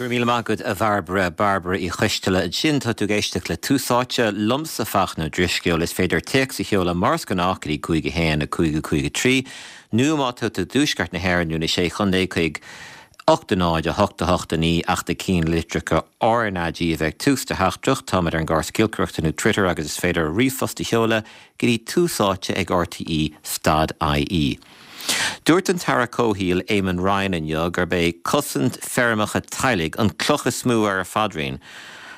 Go raibh míle maith agat a Bhairbre, Bairbre Uí Choisteala ansin. Tá tú ag éisteacht le Tús Áite, liomsa Fachtna Ó Drisceoil. Is féidir téacs a sheoladh mar is gnách go dtí 5 1 5 5 3 nó má tá tú i dtuaisceart na hÉireann nó na Sé Chontae chuig 8 0 8 8 9 ach na cinnlitreacha RnaG a bheith ag tús do theachtaireacht. Táimid ar an gcóras giolcaireachta nó Twitter agus is féidir ríomhphost a sheoladh go dtí túsáite ag rte stad ie. Dúirt an tAire Comhshaoil Eamon Ryan inniu gurb é cosaint feirmeacha teaghlaigh an cloch is mó ar a phaidrín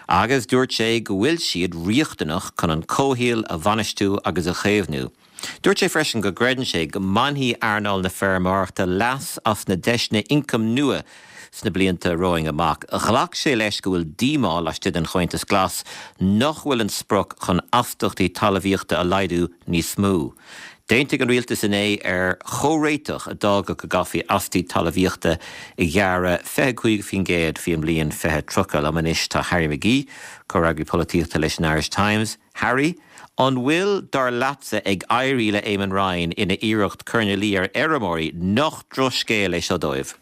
agus dúirt sé go bhfuil siad riachtanach chun an comhshaol a bhainistiú agus a chaomhnú. Dúirt sé freisin go gcreideann sé go mbainfidh earnáil na feirmeoireachta leas as na deiseanna ioncaim nua sna blianta romhainn amach. Ghlac sé leis go bhfuil díomá laistigh den Chomhaontas Glas nach bhfuil an sprioc chun astaíochtaí talmhaíochta a laghdú níos mó. D'aontaigh an rialtas inné ar chomhréiteach a d'fhágfadh go gcaithfí astaíochtaí talmhaíochta a ghearradh 25% faoin mbliain 2030. Liom anois tá Harry McGee, comhfhreagraí polaitíochta leis an Irish Times. Harry, an bhfuil, dar leatsa, ag éirí le Eamon Ryan ina iarracht cur ina luí ar fheirmeoirí nach drochscéal é seo dóibh?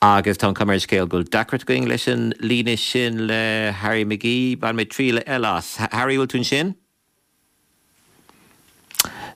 Agus tá an chuma ar an scéal go bhfuil deacracht againn leis an líne sin le Harry McGee. Bainfidh mé triail eile as. Harry, bhfuil tú ansin?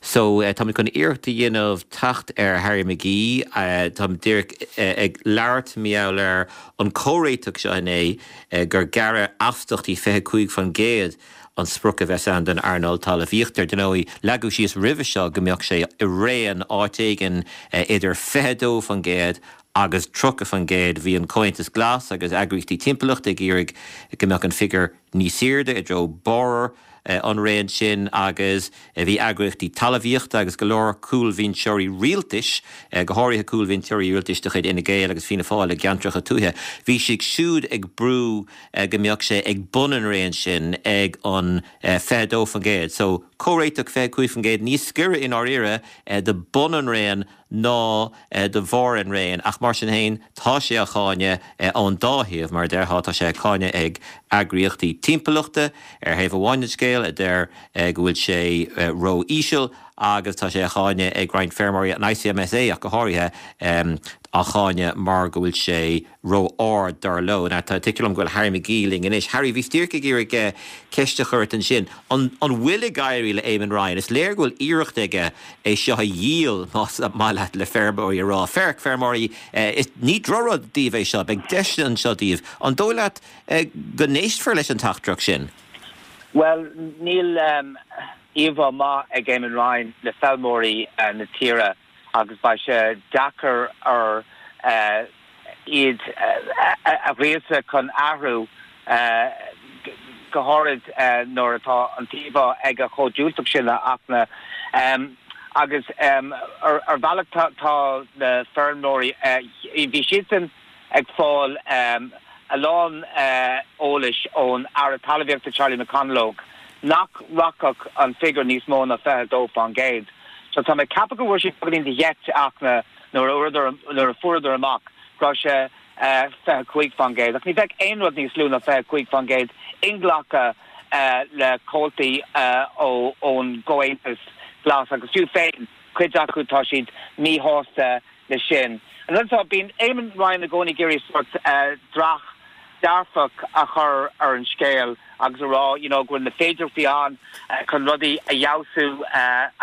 So, táimid chun iarracht a dhéanamh teacht ar Harry McGee. Táim díreach ag labhairt mar gheall ar an comhréiteach seo inné gur gearradh astaíochtaí 25% an sprioc a bheas ann don earnáil talmhaíochta. Ar ndóigh, leagadh síos roimhe seo go mbeadh sé i raon áit éigin idir 22% agus 30%. Bhí an Comhaontas Glas agus eagraíochtaí timpeallachta ag iarraidh go mbeadh an figiúr níos airde, i dtreo barr an raon sin agus bhí eagraíochtaí talmhaíochta agus go leor cúlbhinseoirí rialtais, go háirithe cúlbhinseoirí rialtais de chuid Fhine Gael agus Fianna Fáil i gceantracha tuaithe, bhí siad siúd ag brú go mbeadh sé ag bun an raon sin ag an 22%. So, comhréiteach 25% níos giorra i ndáiríre do bun an raon ná do bharr an raoin, ach mar sin féin, tá sé á cháineadh ón dá thaobh, mar a déarfá. Tá sé á cháineadh ag eagraíochtaí timpeallachta, ar thaobh amháin den scéal, a deir go bhfuil sé ró-íseal, agus tá sé á cháineadh ag roinnt feirmeoirí, an ICMSA ach go háirithe, á cháineadh mar go bhfuil sé ró-ard, dar leo. Now, tá, tuigtear dom go bhfuil Harry McGee linn anois. Harry, bhíos díreach ag iarraidh ceist a chur ort ansin. An, an bhfuil ag éirí le Eamon Ryan? Is léir go bhfuil iarracht aige é seo a dhíol, más maith leat, le feirmeoirí a rá, Féach, feirmeoirí, is, ní drochrud daoibh é seo, beidh deiseanna anseo daoibh. An dóigh leat go n-éistfear leis an teachtaireacht sin? Bhuel, níl íomhá maith ag Eamon Ryan le feilméaraí na tíre. agus beidh sé deacair air iad a ghríosadh chun athrú, go háirid nuair atá an t-íomhá aige chomh diúltach sin, a Fhachtna. Agus ar bhealach tá na feirmeoirí, bhí siadsan ag fáil a lán eolais ón Aire Talmhaíochta Charlie McConalogue nach rachadh an figiúr níos mó ná 22%. So tá mé ag ceapadh go bhfuair siad beagáinín de gheit, a Fhachtna, nuair a fuaireadar amach go raibh sé 25%. Ach ní bheadh aon rud níos lú ná 25% inghlactha le comhaltaí ón gComhaontas Glas agus fiú féin cuid acu tá siad míshásta leis sin. An rud atá, bíonn Eamon Ryan i gcónaí ag iarraidh sórt dreach dearfach a chur ar an scéal agus a rá you know go bhfuil na féidearthachtaí ann chun rudaí a fheabhsú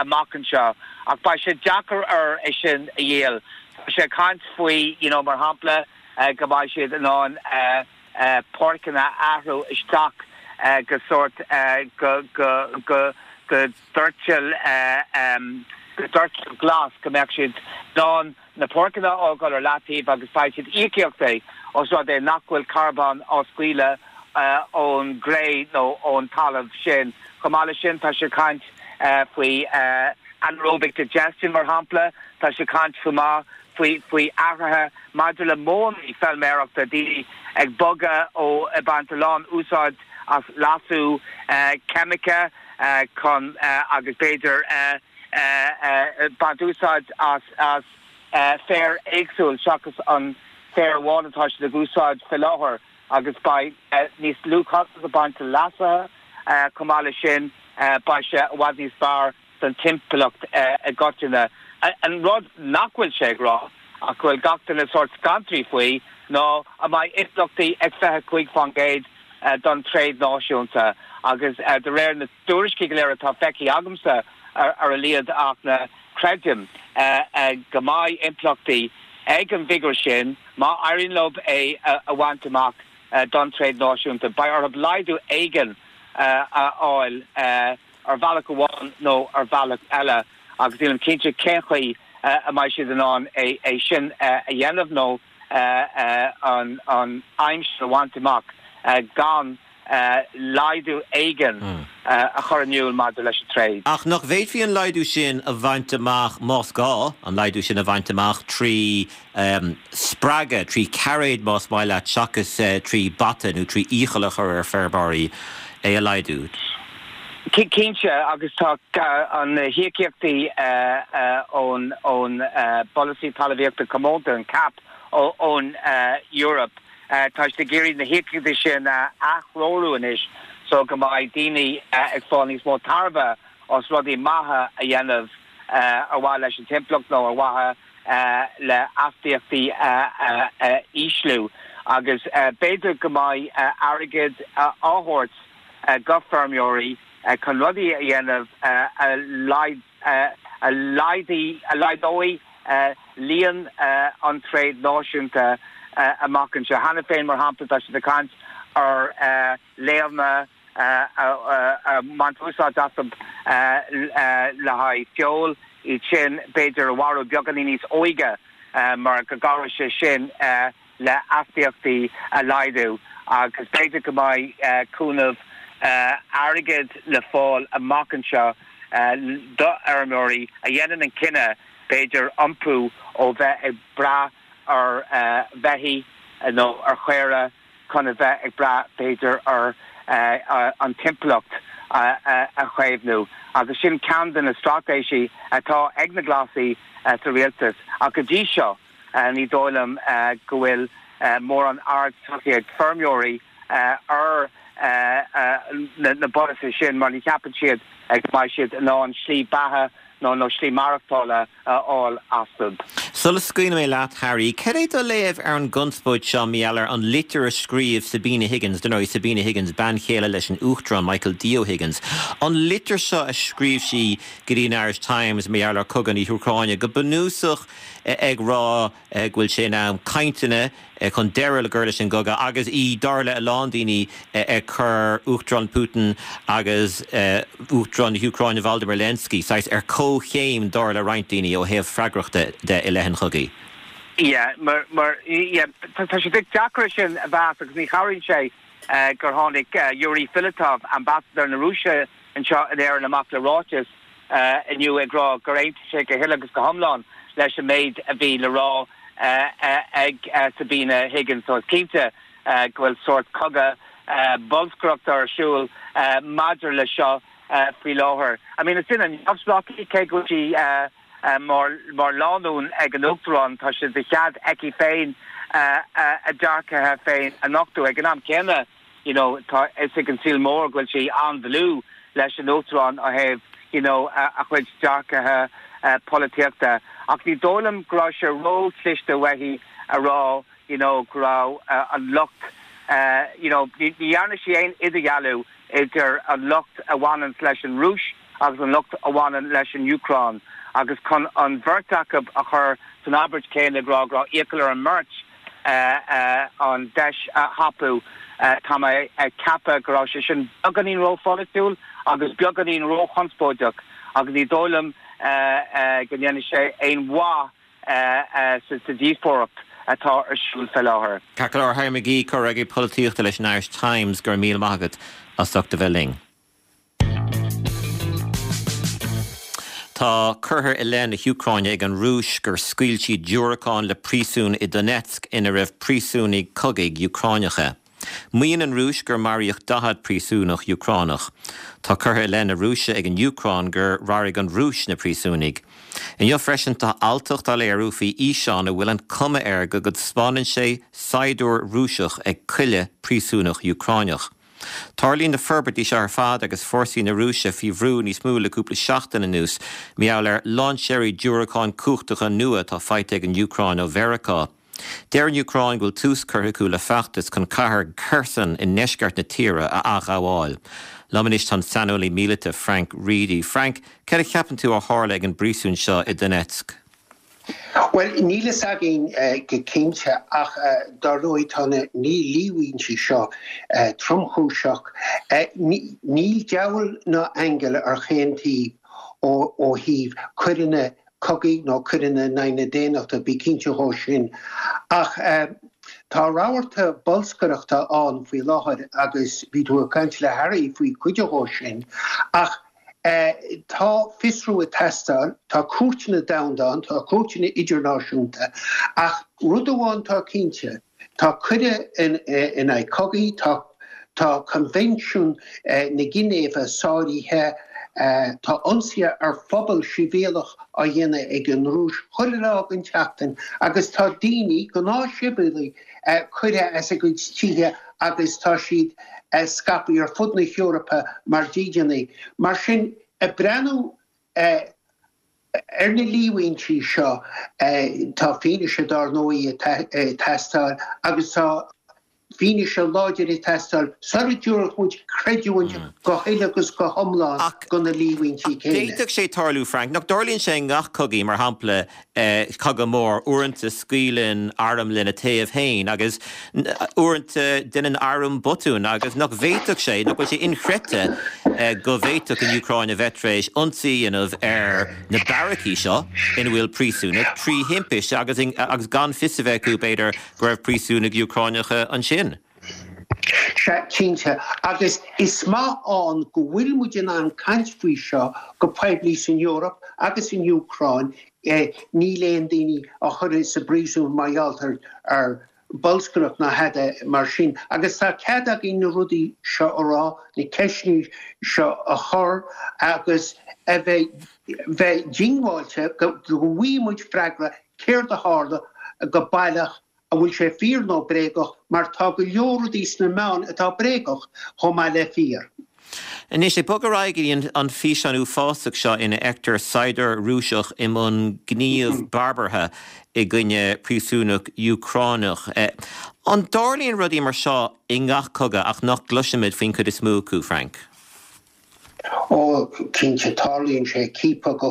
amach anseo ach beidh sé deacair air é sin a dhíol. Tá sé ag caint faoi you know mar shampla go mbeidh siad in ann páirceanna a athrú isteach go sórt go go go go doirteal go doirteal glas, go mbeadh siad in ann na páirceanna a fhágáil ar leataobh agus beidh siad íocaíochtaí os rud é nach bhfuil carbón á scaoileadh ón gcré nó ón talamh sin. Chomh maith leis sin, tá sé ag caint faoi anaerobic digestion, mar shampla. Tá sé ag caint chomh maith faoi faoi athruithe maidir le modhanna feilméarachta, daoine ag bogadh ó ag baint a lán úsáid as leasú ceimice chun agus b'fhéidir baint úsáid as féar éagsúil seachas an féar amháin atá siad ag úsáid fé láthair agus beidh níos lú costas ag baint le leasuithe. Chomh maith leis sin beidh sé i bhfad níos fearr don timpeallacht i gcoitinne. An rud nach bhfuil sé ag rá, ach go bhfuil gach duine sórt scantraithe faoi, ná an mbeidh impleachtaí ag 25% don tréad náisiúnta agus de réir na dtuairiscí go léir atá feicthe agamsa ar a laghad ach creidim go mbeidh impleachtaí ag an bhfigiúr sin má éiríonn leo é a bhaint amach don tréad náisiúnta. Beidh orthu laghdú éigin a fháil ar bhealach amháin nó ar bhealach eile agus nílim cinnte cén chaoi a mbeidh siad in ann é sin a dhéanamh nó an aidhm sin a bhaint amach gan laghdú éigin a chur in iúl maidir leis an tréad. Ach nach bhféadfaí an laghdú sin a bhaint amach, más gá an laghdú sin a bhaint amach, trí spreagadh, 3 cairéad más maith leat, seachas 3 bata nó 3 iachall a chur ar feirmeoirí é a laghdú. Cinnte, agus tá na híocaíochtaí ón bPolasaí Talmhaíochta Comónta, an cap, ón Eoraip, tá siad ag iarraidh na híocaíochtaí sin a aththreorú anois so go mbeidh daoine ag fáil níos mó tairbhe as rudaí maithe a dhéanamh ar mhaithe leis an timpeallacht nó ar mhaithe le astaíochtaí a ísliú agus b'fhéidir go mbeidh airgead á thabhairt go feirmeoirí chun rudaí a dhéanamh a laghdóidh líon an tréad náisiúnta amach anseo. Cheana féin, mar shampla, tá siad ag caint ar laonna a mbaint úsáid astu le haghaidh feoil, iad sin b'fhéidir a mharú beagáinín níos óige mar go gcabhróidh sé sin le astaíochtaí a laghdú agus b'fhéidir go mbeidh cúnamh airgid le fáil amach anseo do fheirmeoirí a dhéanann an cinneadh b'fhéidir iompú ó bheith ag brath ar bheithígh nó ar chaora chun a bheith ag brath, b'fhéidir, ar an timpeallacht a chaomhnú agus sin ceann de na straitéisí atá ag na Glasaigh sa rialtas ach go dtí seo ní dóigh liom go bhfuil mórán aird tugtha ag feirmeoirí ar na polasaithe sin mar ní cheapann siad go mbeidh siad in ann slí beatha nó slí maireachtála a fháil astu. Sula scaoilfidh mé leat, Harry, cad é do léamh ar an gconspóid seo mar gheall ar an litir a scríobh Sabina Higgins, dar ndóigh, Sabina Higgins, bean chéile leis an Uachtarán Michael D. O'Higgins, an litir seo a scríobh sí go dtí an Irish Times mar gheall ar chogadh na hÚcráine, go bunúsach ag rá go bhfuil sé in am cainteanna chun deireadh a chur leis an gcogadh agus í, dar le a lán daoine, ag cur Uachtarán Putin agus Uachtarán na hÚcráine Volodymyr Zelensky saghas ar comhchéim, dar le roinnt daoine, ó thaobh freagrachta de i leith an chogaidh. Yeah, mar, mar, yeah, tá sé deacair é sin a mheas agus ní chabhraíonn sé gur tháinig Yuri Filatov, ambasadóir na Rúise anseo in Éirinn amach le ráiteas inniu ag rá gur aontaigh sé go huile agus go hiomlán leis an méid a bhí le rá ag Sabina Higgins. So is cinnte go bhfuil sórt cogadh bolscaireachta ar siúl maidir le seo faoi láthair. I mean is duine neamhspleách í cé go bhfuil sí mar lánúin ag an Uachtarán, tá sé de chead aici féin a dearcadh féin a nochtadh. Ag an am céanna, you know tá fhios ag an saol mór go bhfuil sí an-dlúth leis an Uachtarán ó thaobh you know a chuid dearcadh polaitíochta ach ní dóigh liom go raibh sé ró-chliste uaithi a rá you know go raibh an lucht you know ní dhearna sí aon idirdhealú idir an lucht a bhaineanns leis an Rúis agus an lucht a bhaineann leis an Úcráin agus chun an bheirt acu a chur san abairt chéanna ag rá go raibh iachall ar an mbeirt an deis a thapú. Tá mé ag ceapadh go raibh sé sin beagáinín rópholaitiúil agus beagáinín róchonspóideach agus ní dóigh liom go ndéanfaidh sé aon mhaith sa díospóireacht atá ar siúl fé láthair. Ceart go leor, Harry McGee, Comhfhreagraí Polaitíochta leis an Irish Times, go raibh míle maith agat as ucht a bheith linn. Tá curtha i leith na hÚcráine ag an Rúis gur scaoil siad diúracáin le príosún i Donetsk ina raibh príosúnaigh cogaidh Úcráineacha. Maíonn an Rúis gur maraíodh 40 príosúnach Úcránach. Tá curtha i leith na Rúise ag an Úcráin gur mharaigh an Rúis na príosúnaigh. Inniu freisin tá alltacht á léiriú faoi fhíseán a bhfuil an cuma air go dtaispeánann sé saighdiúir Rúiseach ag coilleadh príosúnach Úcráineach. Tarlaíonn na forbairtí seo ar fad agus fórsaí na Rúise faoi bhrú níos mó le cúpla seachtain anuas mar gheall ar lainséirí diúracáin cumhachtacha nua atá faighte ag an Úcráin ó Mheiriceá. Deir an Úcráin go bhfuil tús curtha acu le feachtas chun cathair Kherson i ndeisceart na tíre a athghabháil. Liom anois tá an saineolaí míleata Frank Reidy. Frank, céard a cheapann tú a tharla ag an bpríosún seo i Donetsk? Bhuel, níl fhios againn go cinnte ach dar ndóigh tá na líomhaintí seo tromchúiseach. Níl diabhal ná aingeal ar chaon taobh ó thaobh coireanna cogaidh nó coireanna in aghaidh na daonnachta, bí cinnte dhó sin. Ach tá rabharta bolscaireachta ann faoi láthair agus bhí tú ag caint le Harry faoi chuid dhó sin. Ach tá fiosrú ag teastáil, tá cúirteanna domhanda ann, tá cúirteanna idirnáisiúnta, ach rud amháin atá cinnte, Tá coir in aghaidh cogaidh, tá Coinbhinsiún na Ginéive sáraithe, tá ionsaithe ar phobal sibhialach á dhéanamh ag an Rúis chuile lá den tseachtain agus tá daoine, gnáthshibhialaigh, curtha as a gcuid tithe agus tá siad scaipthe ar fud na hEorpa mar dhídeanaithe. Mar sin, ag breathnú Ar na líomhaintí seo, tá fianaise dár ndóigh ag teastáil agus tá fianaise láidir ag teastáil sula dtabharfadh muid creidiúint go huile agus go hiomlán do na líomhaintí céanna. D'fhéadfadh sé tarlú, Frank, nach dtarlaíonn sé i ngach cogaí, mar shampla cogadh mór, uaireanta scaoileann arm lena taobh féin agus uaireanta déanann arm botún agus nach bhféadfadh sé, nach bhfuil sé inchreidte go bhféadfadh an Úcráin a bheith tar éis ionsaí a dhéanamh ar na beairicí seo ina bhfuil príosúnaigh trí thimpiste agus agus gan fios a bheith acu, b'fhéidir, go raibh príosúnaigh Úcráineacha ansin. Sea, cinnte. Agus is maith ann go bhfuil muid in ann caint faoi seo go poiblí san Eoraip agus san Úcráin. Níl aon daoine á chur sa bpríosún mar gheall ar bolscaireacht ná tada mar sin. Agus tá cead againn na rudaí seo a rá, na ceisteanna seo a chur agus a bheith bheith diongbháilte go bhfaighidh muid freagra céard a tharla go baileach an bhfuil sé fíor nó bréagach, mar tá go leor rudaí sna meáin atá bréagach chomh maith le fíor. Anois, ag bogadh ar aghaidh go dtí an físeán uafásach seo ina fheictear saighdiúir Rúiseach i mbun gníomh barbartha i gcoinne príosúnach Úcránach. An dtarlaíonn rudaí mar seo i ngach cogadh ach nach gcloisimid faoin chuid is mó acu, Frank? Ó, cinnte, tarlaíonn sé, ciapadh de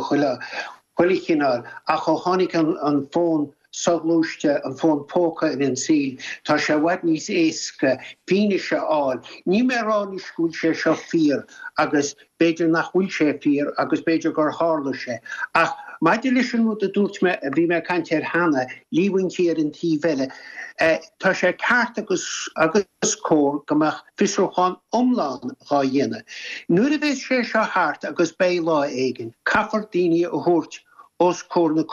chuile chineál, ach ó tháinig an fón soghluaiste, an fón póca ar an saol, tá sé i bhfad níos éasca fianaise a fháil. Níl mé ag rá anois go bhfuil sé seo fíor agus b'fhéidir nach bhfuil sé fíor agus b'fhéidir gur tharla sé. Ach maidir leis an rud a dúirt mé, a bhí mé ag caint air cheana, líomhaintí ar an taobh eile, tá sé ceart agus agus cóir go mbeadh fiosrúchán iomlán dhá dhéanamh. Nuair a bheas sé seo thart, agus beidh lá éigin, caithfear daoine a thabhairt os comhair na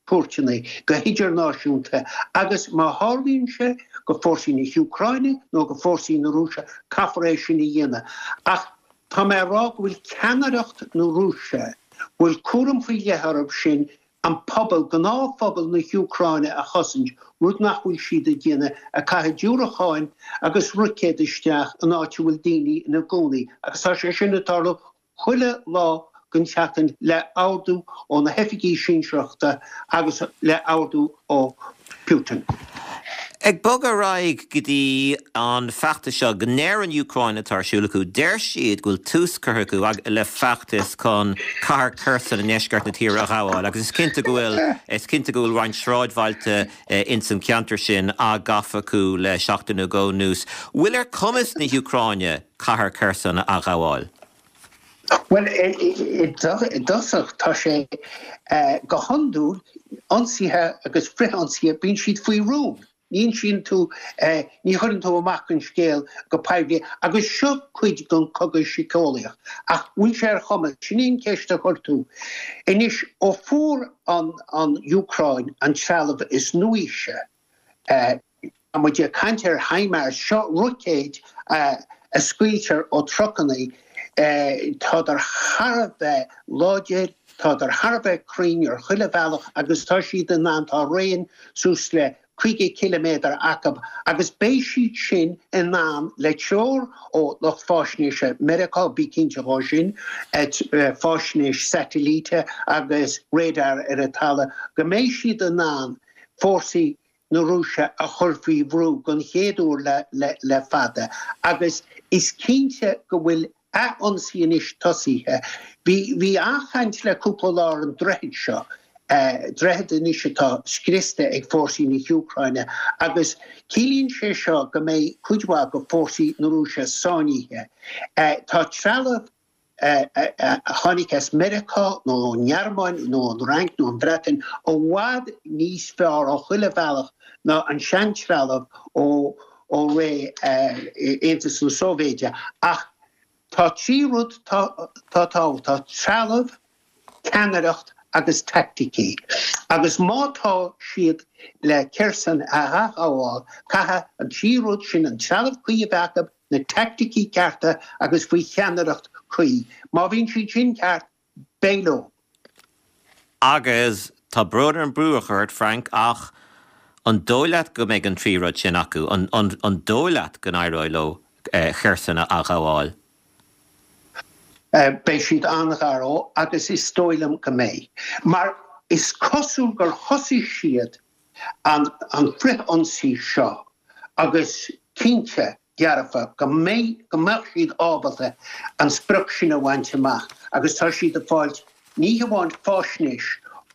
cúirteanna go hidirnáisiúnta agus má tharlaíonn sé go fórsaí na hÚcráine nó go fórsaí na Rúise, caithfear é sin a dhéanamh. Ach tá mé ag rá go bhfuil ceannaireacht na Rúise, go bhfuil cúram faoi leith orthu sin an pobal, gnáthphobal na hÚcráine a chosaint, rud nach bhfuil siad ag déanamh, ag caitheamh diúracáin agus roicéad isteach in áit a bhfuil daoine ina gcónaí agus tá sé sin ag tarlú chuile lá den tseachtain le ordú ó na hoifigigh sinsearachta agus le ordú ó Putin. Ag bogadh ar aghaidh go dtí an feachtas seo go ndeir an Úcráin atá ar siúl acu, deir siad go bhfuil tús curtha acu le feachtas chun cathair Kherson i ndeisceart na tíre a ghabháil agus is cinnte go bhfuil is cinnte go bhfuil roinnt sráidbhailte ins an cheantar sin á gafa acu le seachtain nó dhó anuas. Bhfuil ar chumas na hÚcráine cathair Kherson a athghabháil? Bhuel, i dtosach, tá sé go hiondúil, ionsaithe agus frith-ionsaithe, bíonn siad faoi rún. Ní insíonn tú, ní chuireann tú amach an scéal go poiblí agus seo cuid den chogadh síceolaíoch. Ach bhfuil sé ar chumas, sin í an cheist a chuir tú. Anois, ó fuair an Úcráin an trealamh is nuaíse, Tá muid ag caint ar HIMARS, seo roicéid a scaoiltear ó trucannaí, tádar thar a bheith láidir, tádar thar a bheith cruinn ar chuile bhealach agus tá siad in ann, tá raon suas le. 50 ciliméadar acu agus beidh siad sin in ann, le treoir ó lucht fáisnéise Meiriceá, bí cinnte dhó sin, fáisnéis satailíte agus radar ar an talamh, go mbeidh siad in ann fórsaí na Rúise a chur faoi bhrú don chéad uair le fada agus is cinnte go bhfuil ath-ionsaí anois tosaithe. Bhí an-chaint le cúpla lá ar an droichead seo, droichead anois atá scriosta ag fórsaí na hÚcráine agus ciallaíonn sé seo go mbeidh cuid mhaith de fórsaí na Rúise sáinnithe. Tá trealamh a tháinig as Meiriceá nó ón nGearmáin nó ón Fhrainc nó ón Bhreatain i bhfad níos fearr ó chuile bhealach ná an seantrealamh ó ó ré Aontas na Sóivéide. Ach tá trí rud atá tábhachtach, trealamh, ceannaireacht agus taicticí. Agus má tá siad le Kherson a athghabháil, caithfidh an trí rud sin, an trealamh cuí a bheith acu, na taicticí cearta agus faoi cheannaireacht cuí. Má bhíonn siad sin ceart, beidh leo. Agus tá brón orm brú a chur ort, Frank, ach an dóigh leat go mbeidh an trí rud sin acu? An dóigh leat go n-éireoidh leo Kherson a athghabháil? Beidh siad an-ghar dó agus is dóigh liom go mbeidh. Mar is cosúil gur thosaigh siad an frith-ionsaí seo agus cinnte dearfa go mbeidh, go mbeadh siad ábalta an sprioc sin a bhaint amach agus tá siad ag fáilt ní hamháin fáisnéis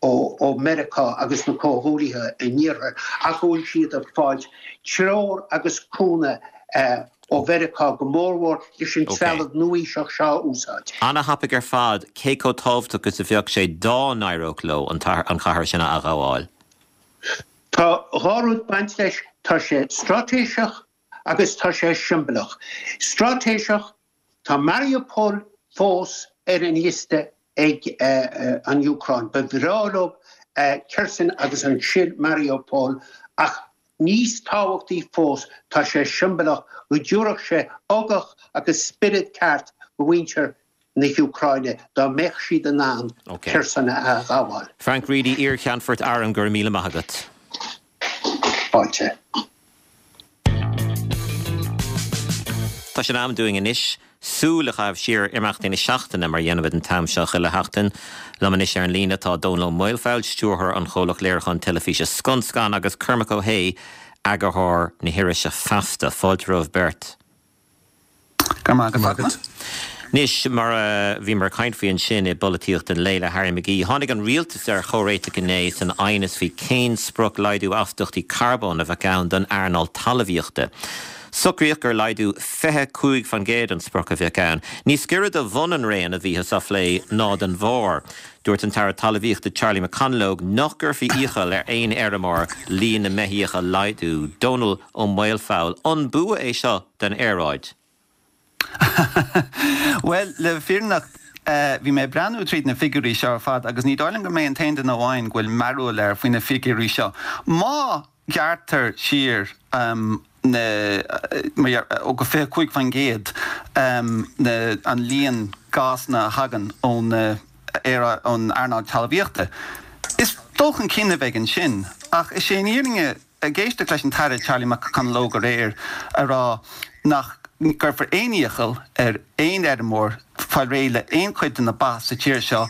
ó Meiriceá agus na comhghuaillithe in iarthar ach go bhfuil siad ag fáilt treoir agus cúnamh ó Mheiriceá go mórmhór leis an trealamh nua-aoiseach seo a úsáid. Ana-thapaidh ar fad cé chomh tábhachtach is a bheadh sé dá n-éireodh leo an chathair sin a athghabháil. Tá dhá rud baint leis, tá sé straitéiseach agus tá sé siombalach. Straitéiseach, tá Mariupol fós ar an liosta ag an Úcráin. Ba bhreá leo Kherson agus ansin Mariupol ach níos tábhachtaí fós, tá sé siombalach go dtabharfadh sé ugach agus spiorad ceart do mhuintir na hÚcráine dá mbeadh siad in ann Kherson a athghabháil. Frank Reidy, Iar-Cheannfort Airm, go raibh míle maith agat. Fáilte. Tá sé in am dúinn anois súil a chaitheamh siar ar imeachtaí na seachtaine, mar a dhéanaimid an t-am seo chuile sheachtain. Liom anois ar an líne tá Dónall Ó Maolfabhail, stiúrthóir an chomhlacht léiriúcháin teilifíse Scun Scan agus Cormac Ó hAodha, eagarthóir na hirise Feasta. Fáilte romhaibh beirt. Go raibh maith agat. Anois, mar a bhíomar ag caint faoi ansin i bPolaitíocht an Lae le Harry McGee, tháinig an rialtas ar chomhréiteach inné san aighneas faoi cén sprioc laghdú astaíochtaí carbóin a bheadh ann don earnáil talmhaíochta. Socraíodh gur laghdú 25% an sprioc a bheadh ann. Níos giorra do bhun an raon a bhíothas á phlé ná don bharr. Dúirt an tAire Talmhaíochta Charlie McConalogue nach gcuirfí iachall ar aon fheirmeoir líon na mbeithíoch a laghdú. Dónall Ó Maolfabhail, An bua é seo don aeráid? Bhuel, le fírinne, bhí mé ag breathnú tríd na figiúirí seo ar fad agus ní dóigh liom go mé an t-aon duine amháin go bhfuil mearbhall air faoi na figiúirí seo. Má ghearrtar siar na, ó go 25% na, an líon gásanna a thagann ó na, ón earnáil talmhaíochta, is dul chun cinn a bheidh ansin. Ach is é an fhírinne, Ag éisteacht leis an tAire Charlie McConalogue aréir a rá nach gcuirfear aon iachall ar aon fheirmeoir fáil réidh le aon chuid de na ba sa tír seo,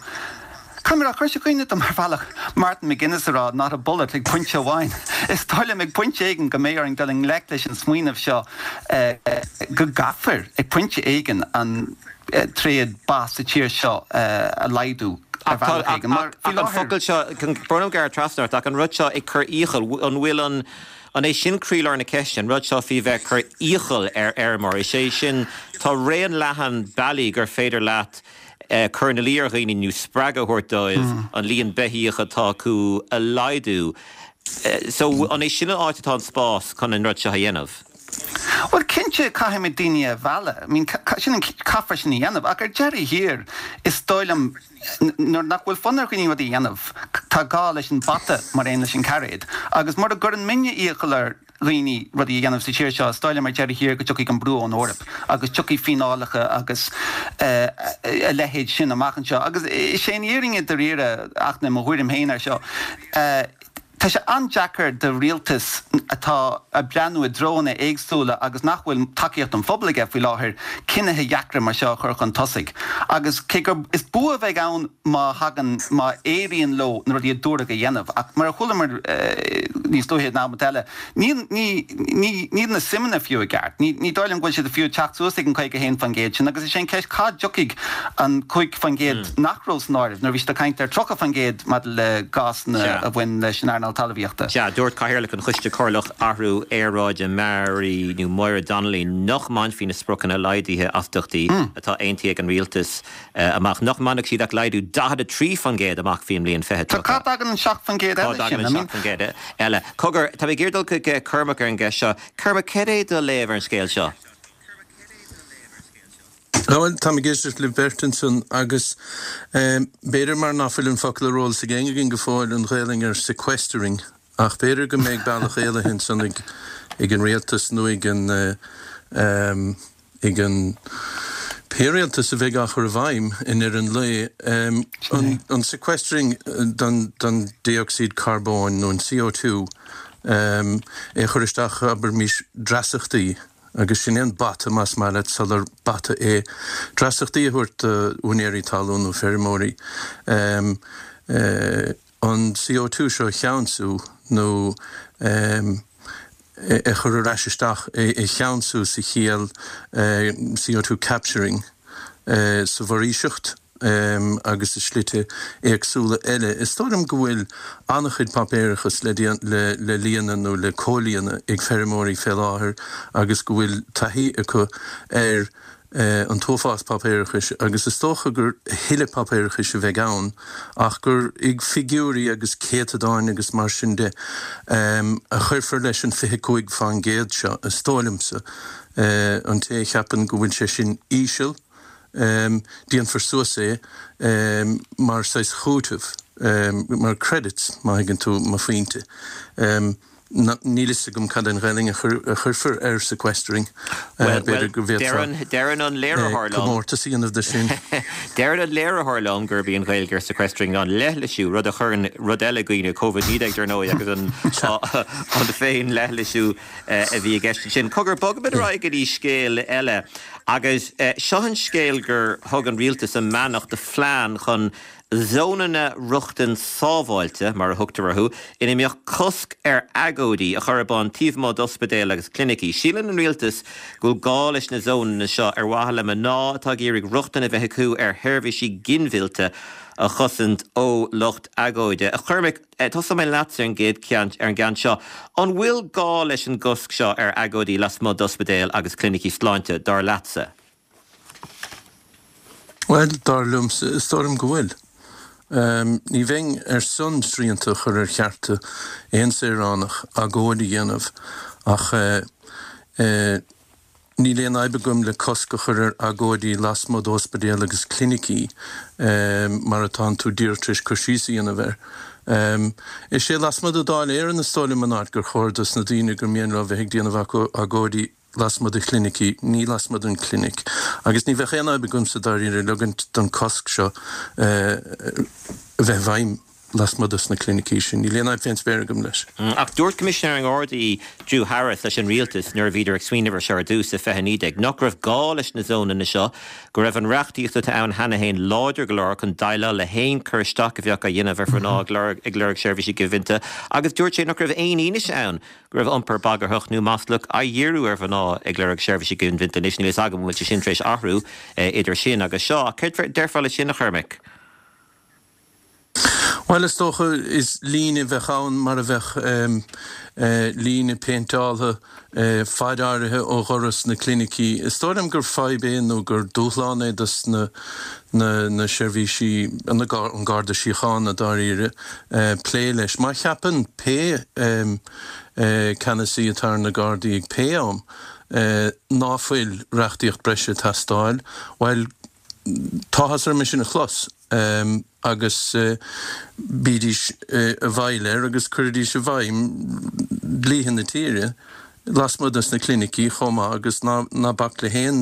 caithfidh mé a rá, chuir sé i gcuimhne dom ar bhealach Martin McGuinness a rá not a bullet ag pointe amháin. Is dóigh liom ag pointe éigin go mbeidh orainn dul i ngleic leis an smaoineamh seo go gcaithfear ag pointe éigin an tréad ba sa tír seo a laghdú ar bhealach éigin. Mar faoi láthair. Ach an focal seo, brón orm gearradh trasna ort, ach an rud seo ag cur iachall, an bhfuil an, an é sin croílár na ceiste, an rud seo faoi bheith ag cur iachall ar fheirmeoir, is é sin, tá raon leathan bealaí gur féidir leat cur ina luí ar dhaoine nó spreagadh a thabhairt dóibh an líon beithíoch atá acu a laghdú. So, an é sin an áit atá an spás chun an rud seo a dhéanamh? Bhuel, cinnte, caithfimid daoine a mhealladh. I mean, sin an, caithfear sin a dhéanamh. Ach ar deireadh thiar, is dóigh liom, nuair nach bhfuil fonn ar dhaoine rudaí a dhéanamh, tá gá leis an bata mar aon leis an cairéad. Agus mura gcuireann muidne iachall ar dhaoine rudaí a dhéanamh sa tír seo, is dóigh liom ar deireadh thiar go dtiocfaidh an brú ón Eoraip agus tiocfaidh fíneálacha agus a leithéid sin amach anseo. Agus is é an fhírinne dáiríre, ach mo thuairim féin air seo. Tá sé an-deacair do rialtas atá ag breathnú i dtreonna éagsúla agus nach bhfuil tacaíocht an phobail aige faoi láthair cinnithe deacra mar seo a chur chun tosaigh. Agus cé gur is bua a bheidh ann má thagann, má éiríonn leo na rudaí a dúradh a dhéanamh, ach mar a chualamar níos luaithe in am eile, Níl, ní, ní, níl na suimeanna fiú i gceart. Ní, ní dóigh liom go bhfuil siad fiú ag teacht suas ag an 51% sin agus is é an ceist cá dtiocfaidh an 5% nach raibh san áireamh nuair a bhí siad ag caint ar 30% maidir le gásanna Sea. a bhain leis an earnáil talmhaíochta. Sea, dúirt Cathaoirleach an Choiste Comhairleach Athrú Aeráide Mary nó Máire Donnelly nach mbainfí na spriocanna laghdaithe astaíochtaí atá aontaithe ag an rialtas amach, nach mbainfeadh siad ach laghdú 43% amach faoin mbliain 2030. So cá dtagann an 7% Cá eile dtagann sin? an I mean. 7% eile? Cogar, tá mé ag iarraidh dul chuig Cormac ar an gceist seo. Cormac, cad é do léamh ar an scéal seo? Bhuel, táim ag éisteacht libh beirt ansan agus b'fhéidir mar ná fuil an focal ar eolas ag éinne againn go fóill, an Ghaelainn ar sequestering, ach b'fhéidir go mbeidh bealach éalaithe ansan ag an rialtas nó ag an ag an pé rialtas a bheidh á chur i bhfeidhm i ndeireadh an lae, an sequestering don dé-ocsaíd carbóin nó an CO2, é a chur isteach, abraimis, dreasachtaí, agus sin é an bata, más maith leat, sular bata é, dreasachtaí a thabhairt d'úinéirí talún nó feirmeoirí. an CO2 seo a cheansú nó é a chur ar ais isteach, é a cheansú sa chiall CO2 capturing sa bhforaoiseacht agus i slite éagsúla eile. Is dóigh liom go bhfuil an-chuid páipéarachas le le líonadh nó le comhlíonadh ag feirmeoirí fé láthair agus go bhfuil taithí acu ar an t-uafás páipéarachais agus is dócha gur a thuilleadh páipéarachais a bheidh ann ach gur ag figiúirí agus céatadáin agus mar sin de a chuirfear leis an 25% seo, is dóigh liomsa. An té a cheapann go bhfuil sé sin íseal, déanfar suas é mar saghas chúiteamh, mar credits, má thuigeann tú mo phointe. Níl fhios agam cad é an Ghaelainn a chuirfear ar sequestering. B'fhéidir go bhféadfá Deireann an léiritheoir liom. comórtas a dhéanamh de sin. Deireann an léiritheoir liom gurb í an Ghaeilge ar sequestering ná leithlisiú, rud a chuireann rud eile i gcuimhne, Covid-19 dar ndóigh agus an an féin-leithlisiú a bhí i gceist ansin. Cogar, bogfaimid ar aghaidh go dtí scéal eile agus seo an scéal gur thug an rialtas a mbeannacht do phlean chun Zónanna rochtain sábháilte, mar a thugtar orthu, ina mbeadh cosc ar agóidí a chur ar bun taobh amuigh d'ospidéil agus clinicí. Síleann an rialtas go bhfuil gá leis na zónanna seo ar mhaithe le mná atá ag iarraidh rochtain a bheith acu ar sheirbhísí ginmhillte a chosaint ó lucht agóide. A Chormaic, tosóidh mé leatsa ar an gcéad ceann, ar an gceann seo. An bhfuil gá leis an gcosc seo ar agóidí lasmuigh d'ospidéil agus clinicí sláinte, dar leatsa? Bhuel, dar liomsa, is dóigh liom go bhfuil. Ní bheinn ar son srianta a chur ar chearta aon saoránach agóid a dhéanamh ach níl aon fhadhb agam le cosc a chur ar agóidí lasmuigh d'óspidéal agus clinicí mar atánn tú díreach tar éis cur síos a dhéanamh air. Is é lasmuigh de Dáil Éireann is dóigh liom an áit gur chóir dos na daoine gur mian leo bheith ag déanamh agóidí lasmuigh de chlinicí, ní lasmuigh den chlinic. Agus ní bheadh aon fhadhb agamsa dáiríre ligint don cosc seo a bheith i bhfeidhm lasmuigh dos na clinicí sin. Níl aon fhadhb fén spéir agam leis. Ach dúirt Coimisinéir na nGardaí Drew Harris leis an rialtas nuair a bhíodar ag smaoineamh ar seo ar dtús i 2019 nach raibh gá leis na zónanna seo, go raibh an reachtaíocht atá ann cheana féin láidir go leor chun déileáil le haon cur isteach a bheadh á dhéanamh ar mhná ag lorg seirbhísí ginmhillte agus dúirt sé nach raibh aon fhianaise ann go raibh iompar bagarthach nó maslach á dhíriú ar mhná ag lorg seirbhísí ginmhillte. Anois, níl a fhios agam an bhfuil sé sin tar éis athrú idir sin agus seo, ach céard a déarfá leis sin, a Chormaic? Bhuel, is dócha, is líne a bheadh ann mar a bheadh líne péinteáltha faid áirithe ó dhoras na clinicí. Is dóigh liom gur fadhb é nó gur dúshlán é dos na na seirbhísí, an Garda Síochána dáiríre, plé leis. Má cheapann pé ceannasaí atá ar na Gardaí ag pé am ná fuil reachtaíocht breise ag teastáil, bhuel, tá áthas orm é sin a chlos agus bídís i bhfeighil air agus cuiridís i bhfeidhm dlíthe na tíre lasmuigh dos na clinicí chomh maith agus ná bac le haon.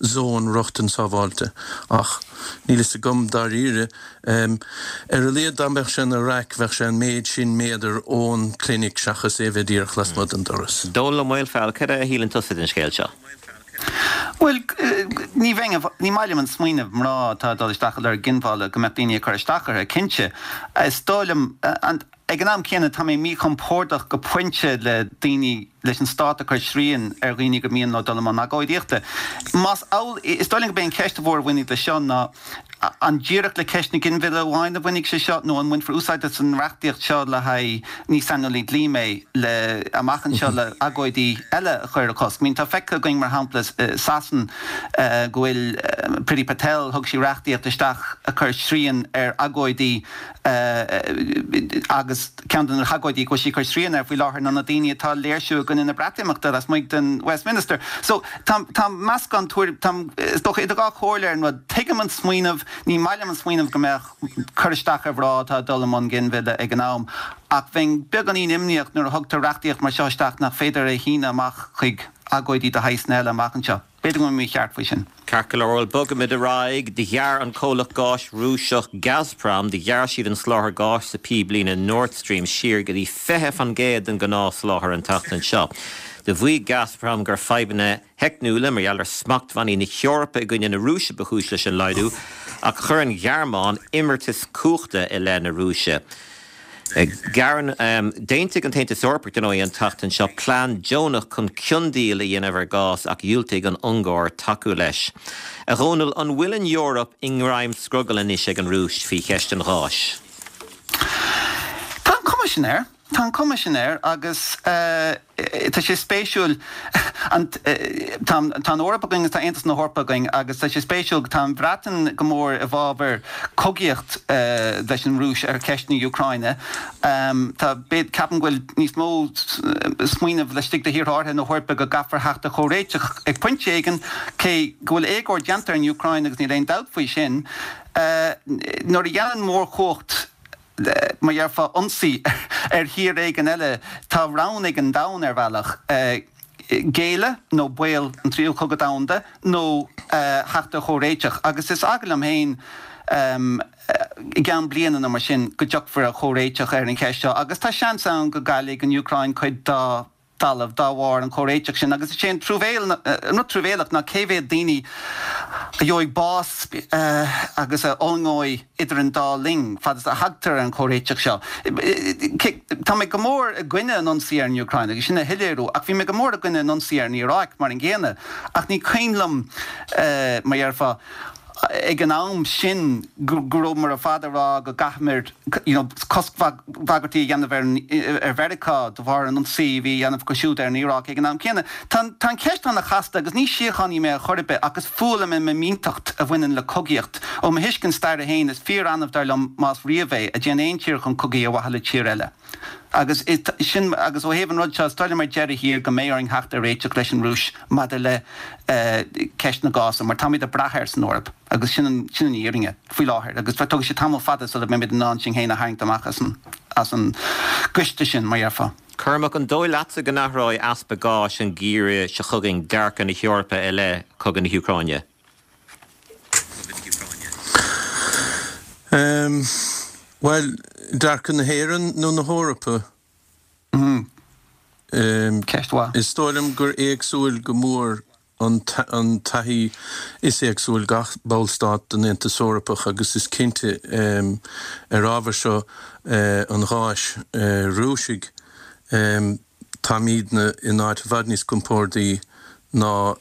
zón rochtain sábháilte. Ach níl fhios agam dáiríre. Ar a laghad dá mbeadh sé ina raic bheadh sé an méid sin méadar ón clinic seachas é bheith díreach lasmuigh den doras. Dónall Ó Maolfabhail, cad é a shíleann tusa den scéal seo? Bhuel, ní bheinn, ní maith liom an smaoineamh mná atá ag dul isteach ag lorg ginmhilleadh go mbeadh daoine ag cur isteach orthu, cinnte. Is dóigh liom, ag an am céanna, tá mé míchompordach go pointe le daoine, leis an stát ag cur srian ar dhaoine gur mian leo dul i mbun agóidíochta. Más amhlaidh, is dóigh liom gurb é an cheist mhór a bhainfidh leis seo ná, An díreach le ceist na ginmhilleadh amháin a bhainfidh sé seo nó an mbainfear úsáid as an reachtaíocht seo le haghaidh, ní saineolaí dlí mé, le amach anseo le agóidí eile a chur a chosc? I mean tá feicthe againn mar shampla i Sasain go bhfuil Priti Patel, thug sí reachtaíocht isteach a chuir srian ar agóidí agus ceann de na hagóidí go bhfuil sí ag cur srian air faoi láthair ná na daoine atá ag léirsiú i gcoinne na Breatimeachta lasmuigh den Westminster. So tá tá meascán tuairim, tá is dócha idir dhá chomhairle ar an rud. Tuigim an smaoineamh, ní maith liom an smaoineamh go mbeadh cur isteach ar mhná atá ag dul i mbun ginmhilleadh ag an am, ach bheinn beagáinín imníoch nuair a thugtar reachtaíocht mar seo isteach nach féidir é a shíneadh amach chuig agóidí de shaghsanna eile amach anseo. B'fhéidir go bhfuil mé mícheart faoi sin. Ceart go leor, bhuel, bogfaimid ar aghaidh. Do ghearr an comhlacht gáis Rúiseach Gazprom, do ghearr siad an soláthar gáis sa phíblíne Nord Stream siar go dtí 20% den ghnáthsholáthar an tseachtain seo. Do mhaígh Gazprom gur fadhbanna theicniúla mar gheall ar smachtbhannaí na hEorpa i gcoinne na Rúise ba chúis leis an laghdú, ach chuir an Ghearmáin imeartas cumhachta i leith na Rúise. Gearrann. D'aontaigh an tAontas Eorpach, dar ndóigh, an tseachtain seo plean deonach chun ciondíol a dhéanamh ar ghás ach dhiúltaigh an Ungáir tacú leis. A Dhónaill, an bhfuil an Eoraip i ngreim scrogaill anois ag an Rúis faoi cheist an gháis? Tá an cuma sin air. Tá an cuma sin air agus. Tá sé spéisiúil, tá an Eoraip againn agus tá Aontas na hEorpa againn agus tá sé spéisiúil, tá an Bhreatain go mór i bhfabhar cogaíocht leis an Rúis ar cheist na Úcráine. Tá, ceapaim go bhfuil níos mó smaoineamh laistigh de thíortha áirithe na hEorpa go gcaithfear theacht ar chomhréiteach ag pointe éigin, cé go bhfuil éagóir déanta ar an Úcráin agus níl aon dabht faoi sin. Nuair a dhéanann mórchumhacht mar dhéarfá, ionsaí ar thír éigin eile, tá rogha ag an domhan ar bhealach, géilleadh nó baol an tríú cogadh domhanda nó theacht ar chomhréiteach. Agus is eagal liom féin i gceann bliana nó mar sin go dtiocfar ar chomhréiteach ar an cheist seo agus tá seans ann go gcaillfidh an Úcráin cuid dá dtalamh dá bharr an chomhréiteach sin agus is é an truamhéil, an rud truamhéalach ná cé mhéad daoine a gheobhaidh bás agus a fhulaingeoidh idir an dá linn fad is a thagtar ar an chomhréiteach seo. Tá mé go mór i gcoinne an ionsaí ar an Úcráin agus sin a shoiléiriú ach bhí mé go mór i gcoinne an ionsaí ar an Iaráic mar an gcéanna ach ní cuimhin liom, mar dhéarfá, ag an am sin go rabhamar ar fad ag rá go gcaithfimid you know coscbhagairtí a dhéanamh ar ar Mheiriceá de bharr an ionsaí a bhí á dhéanamh acu siúd ar an Iaráic ag an am céanna. Tá tá an cheist ana-chasta agus ní síochánaí mé ar chor ar bith ach is fuath liom an fhimínteacht a bhaineann le cogaíocht. Ó mo thuiscint staire féin is fíor-annamh dar liom más riamh é a dtéann aon tír chun cogaidh ar mhaithe le tír eile. Agus sin agus ó thaobh an rud seo is dóigh liom ar deireadh thiar go mbeidh orainn theacht ar réiteach leis an Rúis maidir le ceist na gása mar táimid ag brath air san Eoraip agus sin an sin an fhírinne faoi láthair agus tógfaidh sé tamall fada sula mbeimid in ann sinn féin a tharraingt amach as an as an gcoiste sin mar dhéarfá. Cormac, an dóigh leatsa go n-athróidh easpa gáis an geimhreadh seo chugainn dearcadh na hEorpa i leith chogadh na hÚcráine? Bhuel, dearcadh na hÉireann nó na hEorpa? Ceist mhaith. Is dóigh liom gur éagsúil go mór an taithí, is éagsúil gach ballstát den Aontas Eorpach agus is cinnte ar ábhar seo an gháis Rúisigh, táimidne in áit i bhfad níos compórdaí ná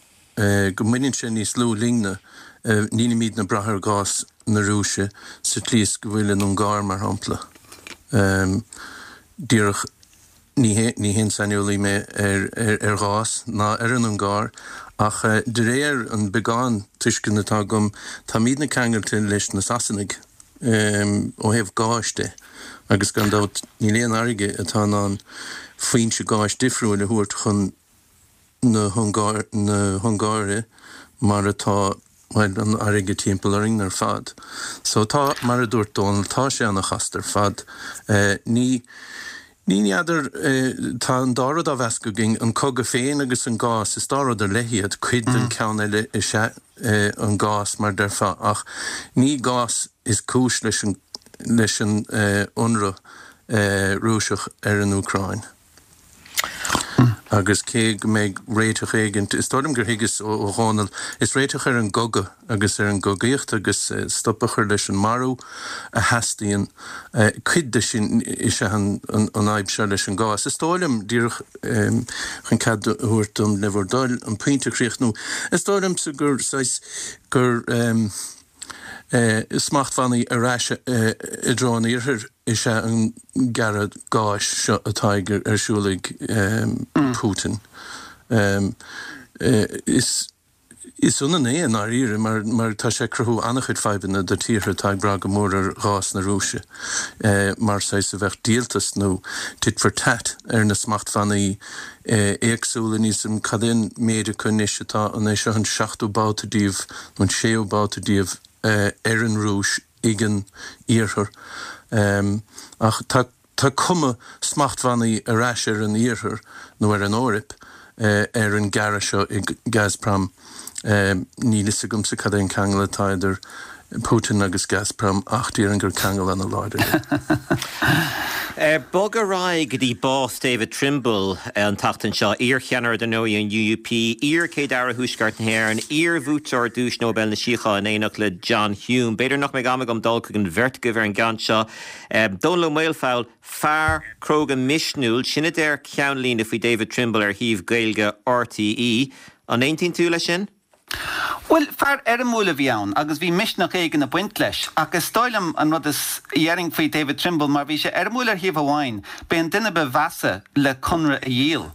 go mbaineann sé níos lú linne, nílimidne ag brath ar ghás na Rúise sa tslí is go bhfuil an Ungáir, mar shampla. Díreach, ní haon saineolaí mé ar ghás ná ar an Ungáir, ach de réir an beagán tuisceana atá agam, táimidne ceangailte leis na Sasanaigh ó thaobh gáis de, agus gan dabht níl aon fharraige atá in ann foinse gáis difriúil a thabhairt chun na hUngáire mar atá, bhuel, an fharraige timpeall orainn ar fad. So tá, mar a dúirt Dónal, tá sé ana-chasta ar fad. Ní, Ní n'fheadar, tá an dá rud á mheascadh againn, an cogadh féin agus an gás, is dá rud ar leith iad, cuid den ceann eile is ea an gás mar deirfeá, ach ní gás is cúis leis an leis an ionradh Rúiseach ar an Úcráin. Agus cé go mbeidh réiteach éigint, is dóigh liom gur thuigeas ó Dhónall, is réiteach ar an gcogadh agus ar an gcogaíocht agus stop a chur leis an marú a theastaíonn. Cuid de sin is ea an fhadhb seo leis an gás. Is dóigh liom, díreach chun cead a thabhairt dom le bhur dtoil an pointe a chríochnú, is dóigh liomsa gur saghas, gur smachtbhannaí ar ais i dtreo an iarthair is ea an gearradh gáis seo atá ar siúl ag Putin. Is ionann é i ndáiríre mar tá sé ag cruthú an-chuid fadhbanna do tíortha atá ag brath go mór ar ghás na Rúise mar saghas a bheadh díoltas nó tit for tat ar na smachtbhannaí éagsúla. Níl 's a'm cad é an méid acu anois atá, an é seo an seachtú babhta díobh nó an séú babhta díobh ar an Rúis ag an Iarthar. Ach tá tá cuma smachtbhannaí ar ais ar an Iarthar nó ar an Eoraip ar an gearradh seo ag Gazprom. Níl fhios agamsa cad é an ceangal atá idir Putin agus Gazprom ach déarfainn gur ceangal ana-láidir é. Bog ar aghaidh go dtí bás David Trimble an tseachtain seo, iar-cheannaire dar ndóigh an UUP, iar-Chéad-Aire Thuaisceart na hÉireann, iar-bhuaiteoir Duais Nobel na Síochána in éineacht le John Hume. B'fhéidir nach mbeidh am agam dul chuig an bheirt agaibh ar an gceann seo. Dónall Ó Maolfabhail, fear cróga misniúil, sin a deir ceannlíne faoi David Trimble ar shuíomh Gaeilge RTÉ. An aontaíonn tú leis sin? Bhuel, fear éirimiúil a bhí ann agus bhí misneach éigin ag baint leis. Ach is dóigh liom an rud is dhéarfainn faoi David Trimble, mar bhí sé éirimiúil ar thaobh amháin, b'é an duine ba mheasa le conradh a dhíol.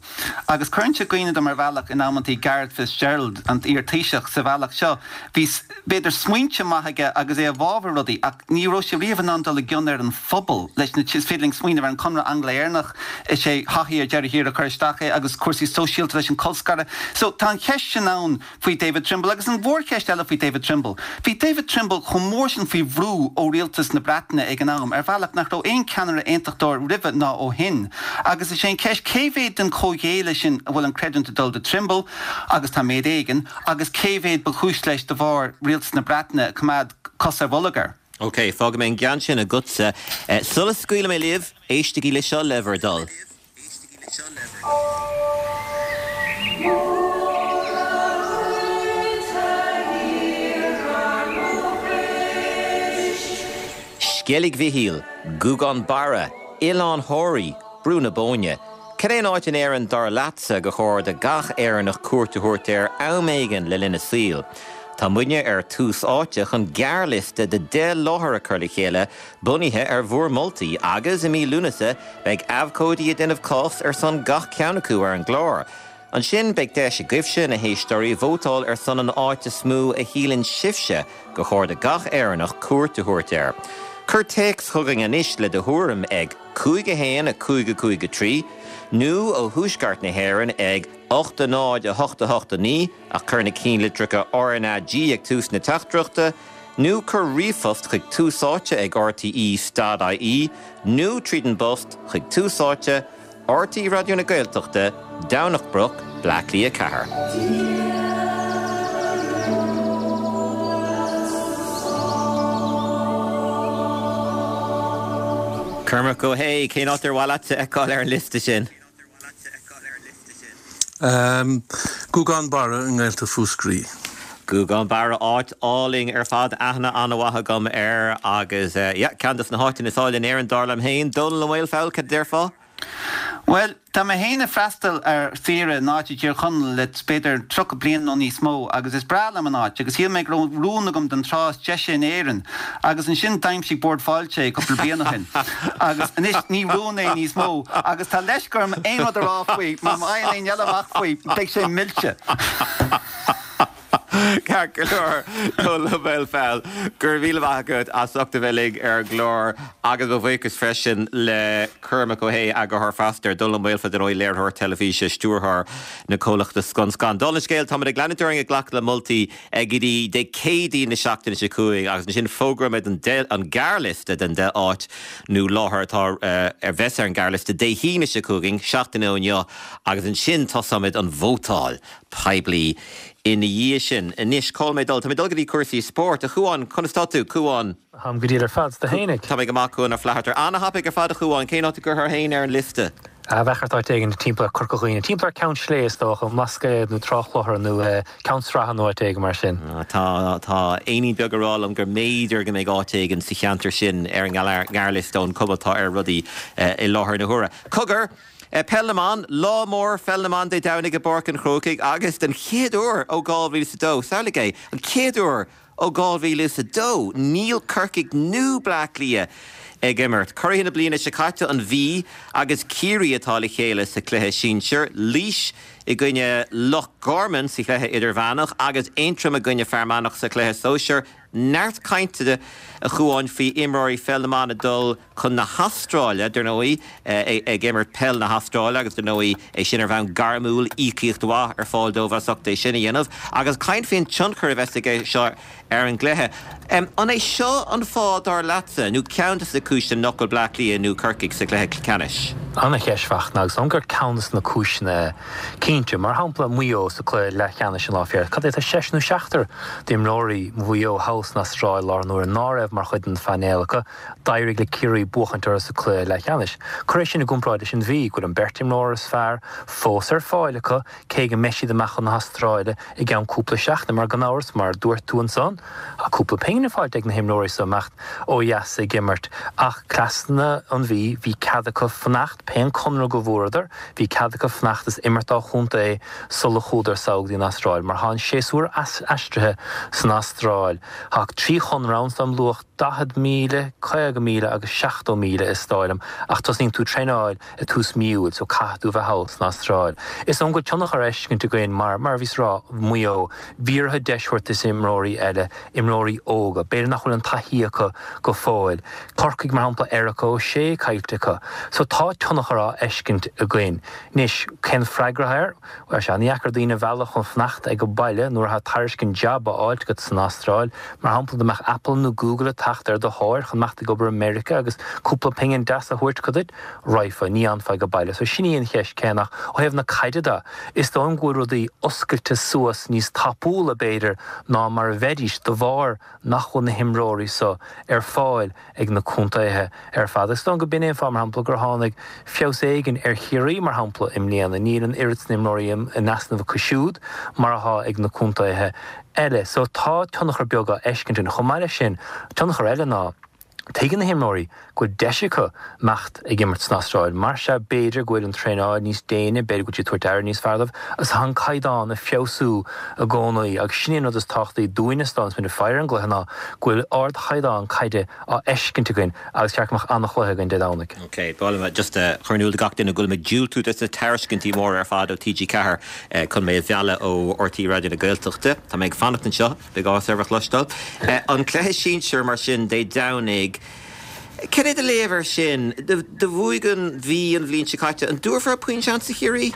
Agus cuireann sé i gcuimhne dom ar bhealach in amantaí Garret Fitzgerald, an t-iar-Taoiseach, sa bhealach seo. Bhí, b'fhéidir, smaointe maithe aige agus é i bhfabhar rudaí ach ní raibh sé riamh in ann dul i gcion ar an phobal leis na, is féidir linn smaoineamh ar an Conradh Angla-Éireannach, is é Haughey ar deireadh thiar a chuir isteach é agus cúrsaí sóisialta leis an colscaradh. So tá an cheist sin ann faoi David Trimble agus an mhórcheist eile faoi David Trimble. Bhí David Trimble chomh mór sin faoi bhrú ó rialtas na Breataine ag an am ar bhealach nach raibh aon ceannaire aontachtóir roimhe ná ó shin. Agus is é an cheist cé mhéad den chomhghéilleadh sin a bhfuil an creidiúint ag dul do Trimble, agus tá méid éigin, agus cé mhéad ba chúis leis de bharr rialtas na Breataine ag coimeád cos ar bholg air. Ok, fágfaidh mé an ceann sin agatsa. Sula scaoilfidh mé libh, éistigí leis seo le bhur dtoil. Sceilg Mhichíl, Gougane Barra, Oileán Thoraí, Brú na Bóinne. Cad é an áit in Éirinn dar leatsa gur chóir do gach Éireannach cuairt a thabhairt air am éigin le linn a saoil? Tá muidne ar Tús Áite chun gearrliosta de 10 láthair a chur le chéile bunaithe ar bhur moltaí agus i mí Lúnasa beidh abhcóidí ag déanamh cás ar son gach ceann acu ar an gclár. Ansin beidh deis agaibhse, na héisteoirí, vótáil ar son an áit is mó a shíleann sibhse gur chóir do gach Éireannach cuairt a thabhairt air. Cuir téacs chugainn anois le do thuairim ag 5 1 5 5 3 nó ó Thuaisceart na hÉireann ag 8 0 8 8 9 ach cuir na cinnlitreacha RnaG ag tús na teachtaireachta, nó cuir ríomhphost chuig Tús Áite ag rte.ie nó tríd an bpost chuig Tús Áite, RTÉ Raidió na Gaeltachta, Domhnach Broc, Bleá Cliath 4. Cormac Ó hAodha, cén áit ar mhaith leat a fheiceáil ar an liosta sin? Gougane Barra i nGaeltacht Mhúscraí. Gougane Barra, áit álainn ar fad, aithne an-mhaith agam air agus yeah, ceann dos na háiteanna is áille in Éirinn dar liom féin. Dónall Ó Maolfabhail, cad a déarfá? Bhuel, tá mé féin ag freastal ar saoire in áit i dTír Chonaill le b'fhéidir 30 bliain nó níos mó agus is breá liom an áit agus shíl mé go raibh rún agam den trá is deise in Éirinn agus ansin d'aimsigh Bord Fáilte é cúpla bliain ó shin agus anois ní rún é níos mó agus tá leisce orm aon rud a rá faoi mar má fhaigheann éinne eile amach faoi beidh sé millte. Ceart go leor, Dónall Ó Maolfabhail, go raibh míle maith agat as ucht a bheith linn ar an gclár agus mo bhuíochas freisin le Cormac Ó hAodha, eagarthóir Feasta, Dónall Ó Maolfabhail, dar ndóigh, léiritheoir teilifíse, stiúrthóir na comhlachta Scun Scan. Dála an scéil, táimid ag leanúint orainn ag glacadh le moltaí go dtí Dé Céadaoin na seachtaine seo chugainn agus ansin fógróimid an gearrliosta den 10 áit nó láthair atá a bheas ar an ghearrliosta Dé hAoine seo chugainn, seachtain ó inniu, agus ansin tosóimid an vótáil poiblí ina dhiaidh sin. Anois, cá bhfuil mé ag dul? Tá mé ag dul go dtí cúrsaí spóirt. A Chuáin, conas tá tú? Cuán. Táim go diail ar fad, 's tú fhéinig? Tá mé go maith, Cuán Ó Flatharta. Ana-thapaidh ar fad, a Chuáin. Cén áit a gcuirfeá féin ar an liosta? Bheadh ort áit éigin timpeall ar Corca Dhuibhne, timpeall ar Ceann Sléibhe is dócha, an mBlascaod nó Trá Chlochair nó Ceann Sratha nó áit éigin mar sin. Tá, tá éinín beag ag rá liom gur mb'fhéidir go mbeidh áit éigin sa cheantar sin ar an ngearrliosta ón cuma atá ar rudaí i láthair na huaire. Cogar! Peil na mBan, Lá mór Pheil na mBan Dé Domhnaigh i bPáirc an Chrócaigh agus den chéad uair ó 2002, samhlaigh é, an chéad uair ó 2002, níl Corcaigh nó Bleá Cliath ag imirt. Curaithe na bliana seo caite, an Mhí agus Ciarraí atá le chéile sa chluiche sinsir, Laois i gcoinne Loch Garman sa chluiche idirmheánach agus Aontroim i gcoinne Fear Manach sa chluiche sóisir. Neart cainte, a Chuáin, faoi imreoirí pheil na mban ag dul chun na hAstráile, dar ndóigh, ag imirt peil na hAstráile agus, dar ndóigh, é sin ar bhonn gairmiúil, íocaíocht mhaith ar fáil dóibh as ucht é sin a dhéanamh. Agus caint faoin tionchar a bheas aige seo ar an gcluiche. An é seo an fáth, dar leatsa, nó ceann de na cúiseanna nach bhfuil Bleá Cliath nó Corcaigh sa chluiche ceannais? Ana-cheist, Fachtna, agus is dóigh liom gur ceann de na cúiseanna é, cinnte. Mar shampla, Maigh Eo sa chluiche leathcheannais an lá faoi dheireadh, cad é, tá seisear nó seachtar d'imreoirí Mhaigh Eo thall san Astráil i láthair na huaire ná raibh mar chuid den phainéal acu. D'éirigh le Ciarraí buachaint orthu sa chluiche leathcheannais. Cuir é sin i gcomparáid leis an Mhí, go bhfuil an beirt imreoir is fearr fós ar fáil acu, cé go mbeidh siad amach chun na hAstráile i gceann cúpla seachtain, mar gan amhras, mar a dúirt tú ansan, tá cúpla pingin faighte ag na himreoirí so imeacht ó dheas ag imirt. Ach cleasanna an Mhí, bhí cead acu fanacht, pé an conradh go bhfuaireadar, bhí cead acu fanacht is imirt dá chontae sula chuadar sall go dtí an Astráil, mar tá an séasúr aistrithe san Astráil. Tá 3 chonradh ann is dóigh liom luach 40,000, 50,000 agus 70,000 is dóigh liom, ach tosnaíonn tú traenáil i tús mí Iúil so caithfidh tú bheith thall san Astráil. Is dóigh liom go bhfuil tionchar á fheiscint againn mar, mar a bhíos a rá, Maigh Eo, bhí orthu deis a thabhairt dos imreoirí eile, imreoirí óga, b'fhéidir nach bhfuil an taithí acu go fóill. Corcaigh mar shampla, Erika O'Shea caillte acu. So tá tionchar á fheiscint againn. Anois, cén freagra air? Bhuel, sea, ní dheacair daoine a mhealladh chun fanacht ag baile nuair atá tairiscint jab á fháilt agat san Astráil. Mar shampla, dá mbeadh Apple nó Google ag teacht ar do thóir chun imeacht ag obair i Meiriceá agus cúpla pingin deas a thabhairt acu duit, raghfá, ní fhanfá ag baile. So sin í an cheist céanna. Ach ó thaobh na caide de, is dóigh liom go bhfuil rudaí oscailte suas níos tapúla, b'fhéidir, ná mar a bheidís de bharr nach bhfuil na himreoirí so ar fáil ag na contaetha ar fad. Is dóigh liom go b'in é an fáth, mar shampla, gur tháinig feabhas éigin ar Chiarraí, mar shampla, i mbliana. Níl an oiread san imreoirí in easnamh acu siúd mar atá ag na contaetha eile. So tá tionchar beag á fheiscint ann. Chomh maith leis sin, tionchar eile ná, tuigeann na himreoirí go bhfuil deis acu imeacht ag imirt san Astráil. Mar sea, b'fhéidir go bhfuil an traenáil níos déine, b'fhéidir go bhfuil siad ag tabhairt aire níos fearr dóibh, agus tá an caighdeán ag feabhsú i gcónaí. Agus sin é an rud is tábhachtaí dúinne is dóigh liom, is muid ag faire ar an gcluiche ná go bhfuil ardchaighdeán caide á fheiscint againn agus cheart go mbeadh an-chluiche againn Dé Domhnaigh. Ok, ba mhaith liom just a chur in iúl do gach duine go bhfuil mé ag diúltú dos na tairiscintí móra ar fad ó TG4 chun mé a mhealladh ó RTÉ Raidió na Gaeltachta. Tá mé ag fanacht anseo. Beidh áthas oraibh a chloisteáil. An cluiche sinsir mar sin Dé Domhnaigh. Cad é do léamh air sin? Do bhuaigh an Mhí an bhliain seo caite. An dtabharfar puinn seans do Chiarraí?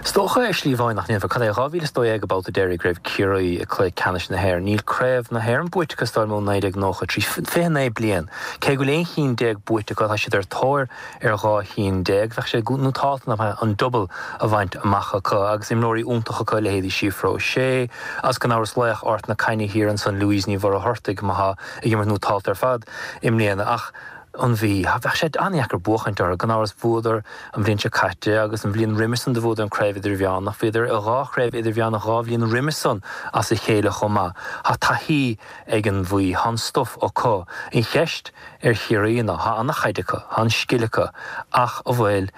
Is dócha ar shlí amháin nach ndéanfar. Cad é, 2012 an babhta deiridh go raibh Ciarraí i gcluiche ceannais na hÉireann. Níl craobh na hÉireann buaite acu is dóigh liom ó 1993. 29 bliain. Cé go bhfuil 11 chinn buaite acu, tá siad ar tóir ar 12 chinn. Bheadh sé nótálta nach mbeadh an double a bhaint amach acu agus imreoirí iontacha acu, leithéidí Síofra O'Shea agus gan amhras laoch Ard na Caithne thiar ansan Louise Ní Mhuircheartaigh atá ag imirt nótálta ar fad i mbliana. Ach an Mhí, bheadh sé an-dheacair buachaint orthu. Gan amhras bhuadar an bhliain seo caite agus an bhliain roimhe san do bhuadar an Craobh Idirmheánach. Bhíodar i dhá chraobh idirmheánach dhá bhliain roimhe san as a chéile chomh maith. Tá taithí ag an Mhí, tá an stuif acu. An cheist ar Chiarraí ná, tá an-chaid acu, tá an scil acu, ach an bhfuil,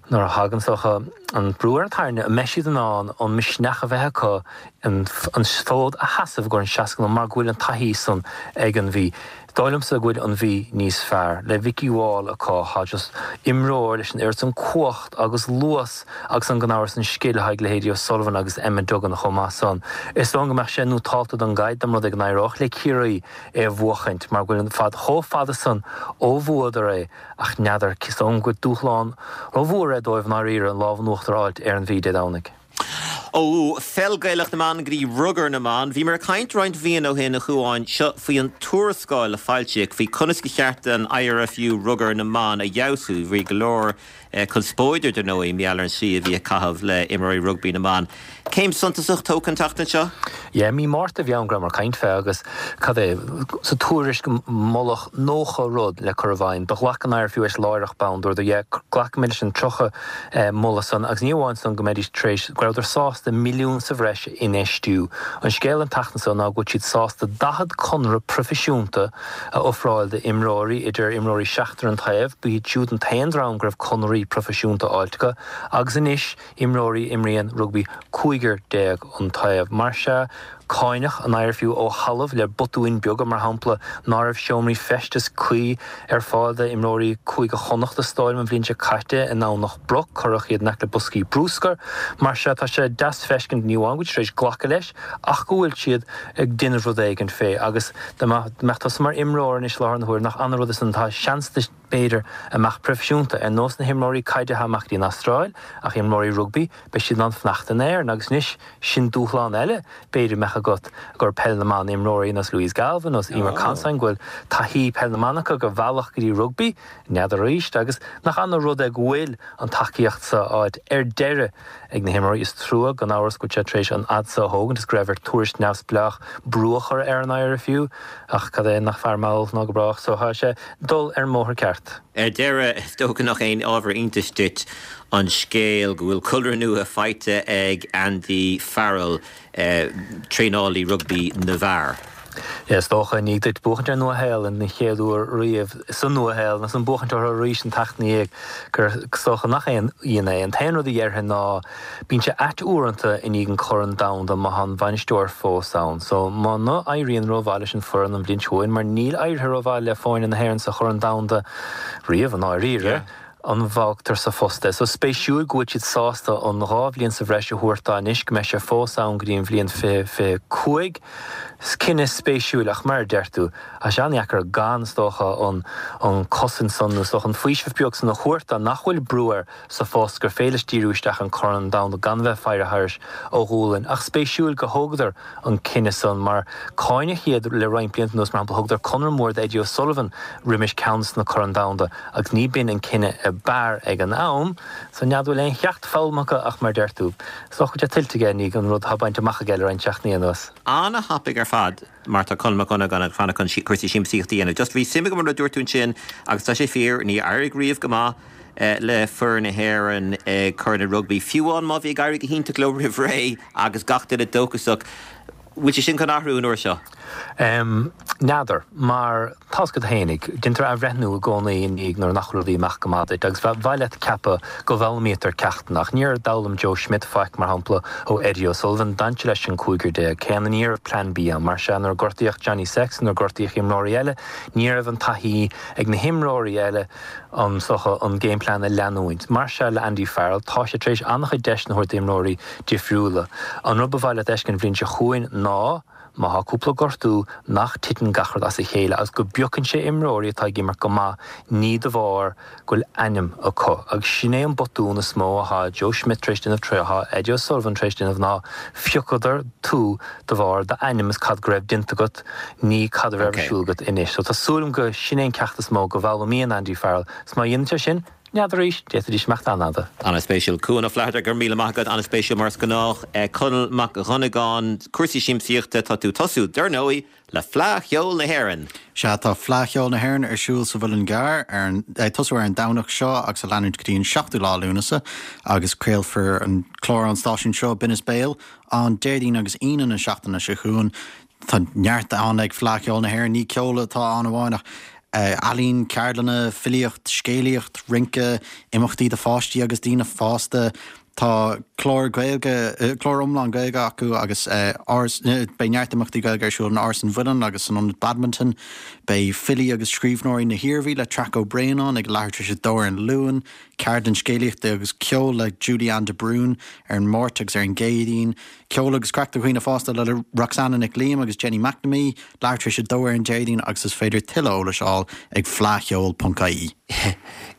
nuair a thagann, is dócha, an brú ar an tairne, an mbeidh siad in ann an misneach a bheith acu? An fód a sheasamh i gcomhair an 60 nóiméad mar go bhfuil an taithí san ag an Mhí. Is dóigh liomsa go bhfuil an Mhí níos fearr le Vikki Wall acu, tá just imreoir leis an oiread san cumhacht agus luas agus an gan amhras an scil atá ag leithéidí O'Sullivan agus Emma Duggan chomh maith san. Is dóigh liom go mbeadh sé nótálta don gcaid dá mba rud é go n-éireodh le Ciarraí é a bhuachaint mar go bhfuil an fad chomh fada san ó bhuadar é ach n'fheadar, is dóigh liom go bhfuil dúshlán rómhór é dóibh i ndáiríre an lámh in uachtar a fháilt ar an Mhí Dé Domhnaigh. Ó pheil Gaelach na mban go dtí rugar na mban, bhíomar ag caint roinnt mhíonna ó shin, a Chuáin, seo faoi an tuarascáil a foilsíodh faoi conas ba cheart don IRFU rugar na mban a fheabhsú. Bhí go leor conspóide, dar ndóigh, mar gheall ar an tslí a bhí ag caitheamh le imreoirí rugbaí na mban. Céim suntasach tógtha an tseachtain seo? Yeah, mí Márta a bhí ann go rabhamar ag caint fé agus cad é, sa tuairisc moladh 90 rud le cur i bhfeidhm. Do ghlac an IRFU leis láithreach bonn, dúradar yeah, glacfaimid leis an 30 moladh san agus ní amháin san go mbeidís tar éis, go rabhadar sásta milliún sa bhreis a infheistiú. An scéal an tseachtain so ná go bhfuil siad sásta 40 conradh proifisiúnta a ofráil d'imreoirí, idir imreoirí seachtar an taobh, ba iad siúd an t-aon dream go raibh conraí proifisiúnta fháilte acu, agus anois imreoirí a imríonn rugbaí cúigear déag an taobh. Mar sea, cáineadh an IRFU ó thalamh le botúin beaga, mar shampla ná raibh seomraí feistis cuí ar fáil d'imreoirí Cúige Chonnacht is dóigh liom an bhliain seo caite i nDomhnach Broc, cuireadh iad in aice le boscaí brúscair. Mar sea, tá sé deas feiscint ní amháin go bhfuil siad tar éis glacadh leis ach go bhfuil siad ag déanamh rud éigin fé agus dá mbeadh tusa mar imreoir anois i láthair na huaire nach ana-rud é san tá seans duit b'fhéidir a imeacht proifisiúnta, ar nós na himreoirí caide atá amach go dtí an Astráil ach imreoirí rugbaí beidh siad in ann fanacht in Éirinn agus anois sin dúshlán eile b'fhéidir a mbeadh agat gur peil na mban imreoirí nós Louise Galvin nós Eimear Considine go bhfuil taithí peil na mban acu ar bhealach go dtí rugbaí, n'fheadar arís agus nach ana rud é go bhfuil an tacaíocht so á fháilt ar deireadh ag na himreoirí. Is trua gan amhras go bhfuil sé tar éis an fhad so a thógaint is go raibh ar tuairisc neamhspleách brú a chur ar an IRFU ach cad é nach fearr mall ná go brách so tá sé dul ar an mbóthar ceart. Ar deireadh, is dócha nach aon ábhar iontais duit an scéal go bhfuil conradh nua faighte ag Andy Farrell, traenálaí rugbaí na bhfear. Is dócha, i ndiaidh duit buachaint ar Nua-Shéalainn den chéad uair riamh sa Nua-Shéalainn agus ansan buachaint orthu arís an tseachtain ina dhiaidh, gur is dócha nach aon ionadh é. An t-aon rud a dhéarfainn ná bíonn sé ait uaireanta i ndiaidh an Corn Domhanda má tá an bainisteoir fós ann. So muna éiríonn rómhaith leis an foireann an bhliain seo chugainn, mar níl éirithe rómhaith le foirne na hÉireann sa Chorn Domhanda riamh i ndáiríre, an bhfágtar sa phost é. So spéisiúil go bhfuil siad sásta an 2 bhliain sa bhreis a thabhairt dó anois, go mbeidh sé fós ann go dtí an bhliain 2025. Cinneadh spéisiúil ach mar a deir tú, tá sé an-dheacair gan, is dócha, an an cosaint san nó is dócha an faoiseamh beag san a thabhairt dó nach bhfuil brú air sa phost, gur féidir leis díriú isteach ar an Corn Domhanda gan bheith ag faire thairis a ghualainn. Ach spéisiúil go thógadar an cinneadh san mar cáineadh iad le roinnt blianta anuas, mar shampla thugadar conradh mór d'Eddie O'Sullivan roimis ceann de na Corn Domhanda agus ní b'in an cinneadh ab fhearr ag an am, so n'fheadar bhfuil aon cheacht foghlamtha acu ach mar deir tú, is dócha go bhfuil sé tuillte aige i ndiaidh an rud atá bainte amach aige le roinnt seachtainí anuas. Ana-thapaidh ar fad mar tá Conall Mac Dhonnagáin ag fanacht chun cúrsaí siamsaíochta a dhéanamh. Just bhí suim agam an rud a dúirt tú ansin agus tá sé fíor, ní éirigh riamh go maith le foireann na hÉireann ag Corn na Rugbaí, fiú amháin má bhí ag éirí go hiontach leo roimh ré agus gach duine dóchasach. Bhfuil sé sin chun athrú an uair seo? N'fheadar, mar tá's agat fhéinig, déantar athbhreithniú i gcónaí i ndiaidh nuair nach bhfuil rudaí ag imeacht go maith duit agus ba mhaith leat ceapadh go bhfoghlaimítear ceachtanna. Ach níor d'fhoghlaim Joe Schmidt faic, mar shampla, ó Eddie O'Sullivan. D'fhan sé leis an cúigear déag céanna. Ní raibh Plan B ann. Mar sea, nuair a gortaíodh Johnny Sexton, nuair a gortaíodh imreoirí eile, ní raibh an taithí ag na himreoirí eile an, is dócha, an game plan a leanúint. Mar sea le Andy Farrell, tá sé tar éis an-chuid deiseanna a thabhairt d'imreoirí difriúla. An rud ba mhaith leat a fheiscint an bhliain seo chugainn ná, má thá cúpla gortú, nach titeann gach rud as a chéile agus go bpiocann sé imreoirí atá ag imirt go maith, ní de bharr go bhfuil ainm acu. Agus sin é an botún is mó athá Joe Schmidt tar éis déanamh, athá Eddie O'Sullivan tar éis déanamh ná phiocadar tú de bharr d'ainm is cad go raibh déanta agat, ní cad a raibh ar siúl agat anois. So tá súil agam go sin é an ceacht is mó go bhfoghlaimíonn Andy Farrell. Is má dhéanann sé sin, n'fheadar arís, d'fhéadfaidís imeacht an-fhada. An-spéisiúil. Cuan Ó Flatharta, go raibh míle maith agat. An-spéisiúil mar is gnách. Conall Mac Dhonnagáin, cúrsaí siamsaíochta, tá tú ag tosú, dar ndóigh, le Fleadh Cheoil na hÉireann! Sea, tá Fleadh Cheoil na hÉireann ar siúl sa Mhuileann gCearr, ar an, ag tosú ar an Domhnach seo agus ag leanúint go dtí an seachtú lá Lúnasa, agus craolfar an clár ón stáisiún seo, Binneas Béal, an Déardaoin agus Aoine na seachtaine seo chugainn. Tá neart ann ag Fleadh Cheoil na hÉireann, ní ceol atá ann amháin ach ealaín, ceardlanna, filíocht, scéalaíocht, rince, imeachtaí do pháistí agus daoine fásta. Tá clár Gaeilge, clár iomlán Gaeilge acu agus beidh neart imeachtaí Gaeilge ar siúl in Áras an Mhuilinn agus san Ionad Badminton. Beidh filí agus scríbhneoirí na hIarmhí le Traic Ó Braonáin ag leathuair tar éis a dó ar an Luan, ceardlann scéalaíochta agus ceoil le Julie Ann de Brún ar an Máirt agus ar an gCéadaoin, ceol agus craic do dhaoine fásta le Roxanna Nic Liam agus Jenny McNamee, leathuair tar éis a dó ar an Déardaoin agus is féidir tuilleadh eolais a fháil ag fleadhcheol.ie.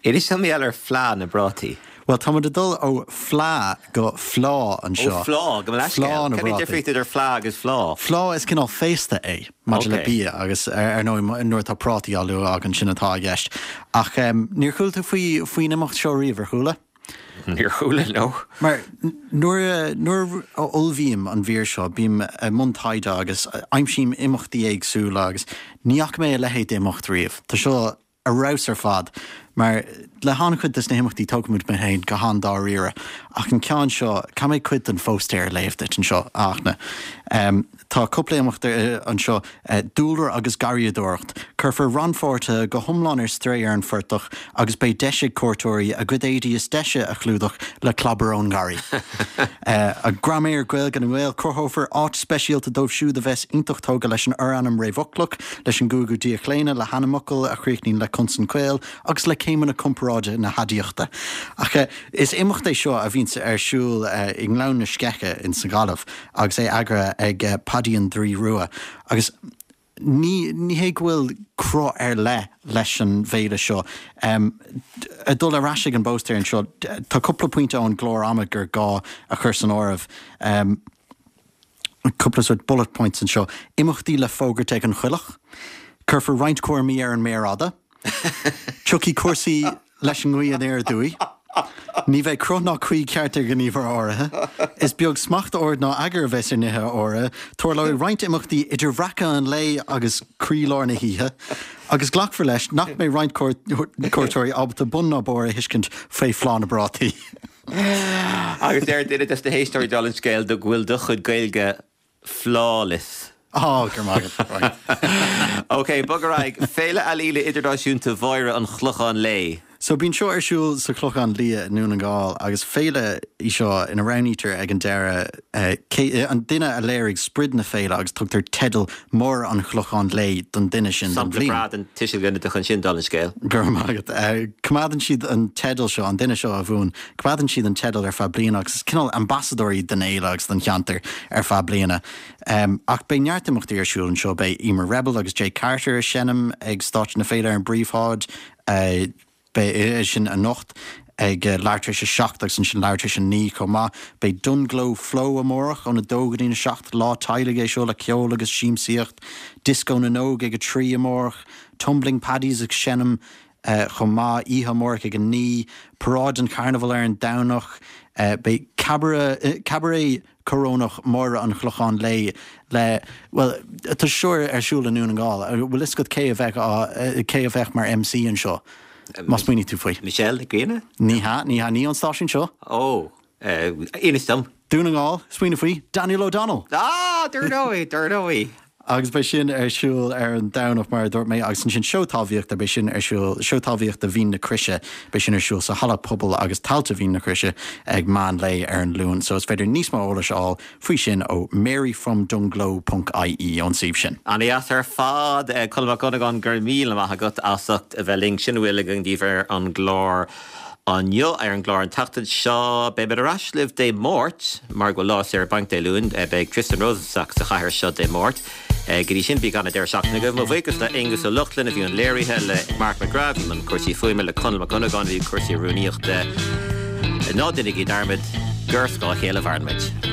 Inis dom mar gheall ar Fleá na bPrátaí. Bhuel, tá muid ag dul ó fleá go fleá anseo. Ó fleá, gabh mo leithscéal. Fleá na Cad é bprátaí. difríocht idir fleá agus fleá? Fleá, is cineál féasta é maidir le bia agus ar ndóigh nuair atá prátaí á lua againn sin atá i gceist. Ach níor chuala tú faoi faoin imeacht seo riamh, ar chuala? Níor chuala, no. Mar nuair a nuair a ullmhaím an mhír seo bím i mbun taighde agus aimsím imeachtaí éagsúla agus ní fhaca mé a leithéid d'imeacht riamh. Tá seo ar fheabhas ar fad, mar le han-chuid des na himeachtaí tógaimid muid féin go han-dáiríre, ach an ceann seo, caithfidh mé cuid den phóstaer a léamh duit anseo, a Fhachtna. Tá cúpla imeacht anseo, dúlra agus garraíodóireacht. Cuirfear rannpháirtithe go hiomlán ar strae ar an phortach agus beidh deis ag cuairteoirí a gcuid éadaí is deise a chlúdach le clábar ón ngarraí. Graiméar Gaeilge na nGael, Cruthófar áit speisialta dóibh siúd a bheas iontach tógtha leis an fhorainm réamhfhoclach, leis an gcúigiú díochlaonadh, le hainmfhocail a chríochnaíonn le consan caol agus le céimeanna comparáide na haidiachta. Ach is imeacht é seo a bhíonns ar siúl i nGleann na Sceiche in sa Ghaillimh agus é eagraithe ag Paddy an Draoi Rua agus Ní ní hé go bhfuil cruth ar leith leis an bhféile seo. Ag dul ar ais ag an bpóstaer anseo, tá cúpla pointe ón gclár ama gur gá a chur san áireamh. Cúpla sort bullet points anseo. Imeachtaí le fógairt ag an choileach. Cuirfear roinnt cúraimí ar an méar fhada. Tiocfaidh cúrsaí leis an ngaoth aniar aduaidh. Ní bheidh cruth ná caoi ceart ar ghníomhartha áirithe. Is beag smacht, ord ná eagar a bheas ar nithe áirithe. Tarlóidh roinnt imeachtaí idir bhreacadh an lae agus croílár na hoíche. Agus glacfar leis nach mbeidh roinnt cuairteoirí ábalta bun ná barr a thuiscint faoi Phlá na bPrátaí. Agus deir duine des na héisteoirí dála an scéil go bhfuil do chuid Gaeilge flawless. Á, go raibh maith agat. Right. Ok, bog ar aghaidh. Féile Ealaíne Idirnáisiúnta Mháire an Chlocháin Léith. So bíonn seo ar siúl sa Chlochán Liath i nDún na nGall agus féile í seo ina roghnaítear ag an deireadh cé an duine a léirigh sprid na féile agus tugtar teideal Máire an Chlocháin Léith don duine sin don Sampla bhliain. breá den tuiseal ginideach ansin, dála an scéil. Go raibh maith agat. Coimeádann siad an teideal seo, an duine seo a bhuann, Coimeádann siad an teideal ar feadh bliana agus is cineál ambasadóirí don fhéile agus don cheantar ar feadh bliana. Ach beidh neart imeachtaí ar siúl anseo, beidh Eimear Rebel agus Jay Carter ag seinm ag stáitse na féile ar an bpríomhshráid, beidh sin anocht ag leathuair tar éis a 7 agus ansin leathuair tar éis a 9 chomh maith. Beidh Dungloe Flow amárach óna 2 go dtí'n 7, lá teaghlaigh é seo le ceol agus siamsaíocht. Disco na nÓg ag a 3 amárach, Tumbling Paddies ag seinm chomh maith, oíche amárach ag 9, Paráid an Charnabhail ar an Domhnach, beidh Cabaret, Cabaret Corónach Máire an Chlocháin Léith le, bhuel, tá seo ar siúl i nDún na nGall, an bhfuil fhios agat cé a bheadh á, cé a bheadh mar MC anseo, má smaoiníonn tú faoi? Michelle Nic Grianna? Ní hea, ní hea, ní ón stáisiún seo. Ó, inis dom. Dún na nGall, smaoinigh faoi, Daniel O'Donnell! Ah, dar ndóigh, dar ndóigh! Agus beidh sin ar siúl ar an Domhnach, mar a dúirt mé, agus ansin seó talmhaíochta, beidh sin ar siúl, seó talmhaíochta Mhín na Croise, beidh sin ar siúl sa Halla Pobail agus Tailte Mhín na Croise ag meán lae ar an Luan. So is féidir níos mó eolais a fháil faoi sin ó maryfromdungloe ponc ie, ón suíomh sin. Ana-dheas ar fad. Colm Mac Dhonnagáin, go raibh míle maith agat as ucht a bheith linn. Sin a bhfuil againn daoibh ar an gclár inniu. Ar an gclár an tseachtain seo, beimid ar ais libh Dé Máirt, mar go bhfuil lá saor bainc Dé Luain. Beidh Tristan Rosenstock sa chathaoir seo Dé Máirt. Go dtí sin, bíodh an-deireadh seachtaine agaibh. Mo bhuíochas le Aonghus Ó Lochlainn a bhí i mbun léirithe, le Mark McGrath a bhí i mbun cúrsaí fuaime, le Conall Mac Dhonnagáin a bhí i cúrsaí rúnaíochta. Ná déanaigí dearmad gur ar scáth a chéile a mhaireann muid.